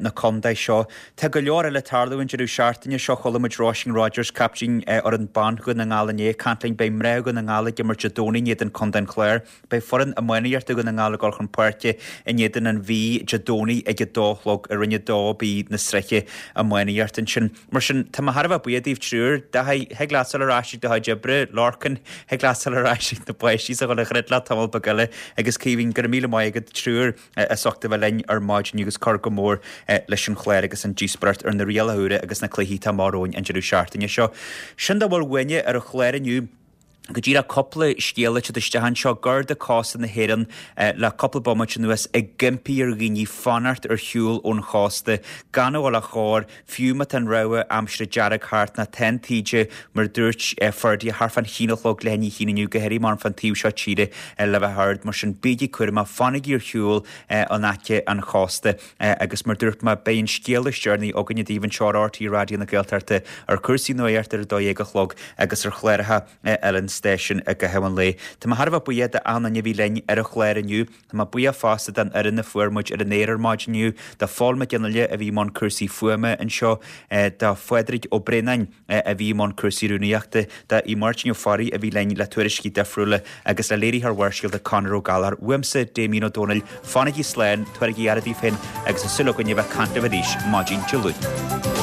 na contae seo. Tá go leor eile ag tarlú an deireadh seachtaine seo. Chuala muid Róisín Rogers, captaen fhoireann ban Dhún na nGall inné, ag caint linn. Beidh mná Dhún na nGall ag imirt Dé Domhnaigh in éadan Contae an Chláir. Beidh foireann iománaíochta Dhún na nGall ag dul chun páirce in éadan an Mhí Dé Domhnaigh ag a dó a chlog i Roinn a dó B na sraithe iománaíochta ansin. Mar sin, tá mé thar a bheith buíoch daoibh triúr. Dáithí, thig leat dul ar ais ag do chuid oibre. Lorcan, thig leat dul ar ais ag na páistí is a dhul a dhruid leat tamall beag eile. Agus Caoimhín, go raibh míle maith agat triúr as ucht a bheith linn ar maidin agus cur go mór leis an chlár agus an díospóireacht ar na rialacha úra agus na cluichí atá amach romhainn an deireadh seachtaine seo. Sin dá bhfuil uainne ar an chlár inniu. Go díreach cúpla scéal ag teacht isteach anseo, Garda Cósta na hÉireann le cúpla bomaite anuas ag impí ar dhaoine fanacht ar shiúl ón chósta, gan a dhul ar chóir, fiú má tá an rabhadh aimsire dearg thart nó tá an taoide, mar a dúirt Ferdia, thart fán haon a chlog leath i ndiaidh a haon inniu, go háirithe mar fán taobh seo tíre le bheith ard. Mar sin, bígí cúramach, fanaigí ar shiúl in aice an chósta agus mar a dúirt mé, beidh an scéal is deireanaí againne daoibh anseo ar RTÉ Raidió na Gaeltachta ar chúrsaí nuachta ar a dó dhéag a chlog agus ar chláracha eile an stáisiúin i gcaitheamh an lae. Tá mé thar a bheith buíoch d'achan duine a bhí linn ar an chlár inniu. Tá mé buíoch fosta den fhoireann a fuair muid ar an aer ar maidin inniu, do Phól Mac Fhionnghaile a bhí i mbun cúrsaí fuaime anseo, do Phádraig Ó Braonáin a bhí i mbun cúrsaí rúnaíochta, do Máirtín Ó Fearraigh a bhí linn le tuairiscí difriúla agus le léiritheoir Bharrscéalta Conor Ó Gallchóir. Uaimse, Damien Ó Dónaill, fanaigí slán, tabhairigí aire daoibh féin agus tá súil againn a bheith ag caint libh arís maidin Dé Luain.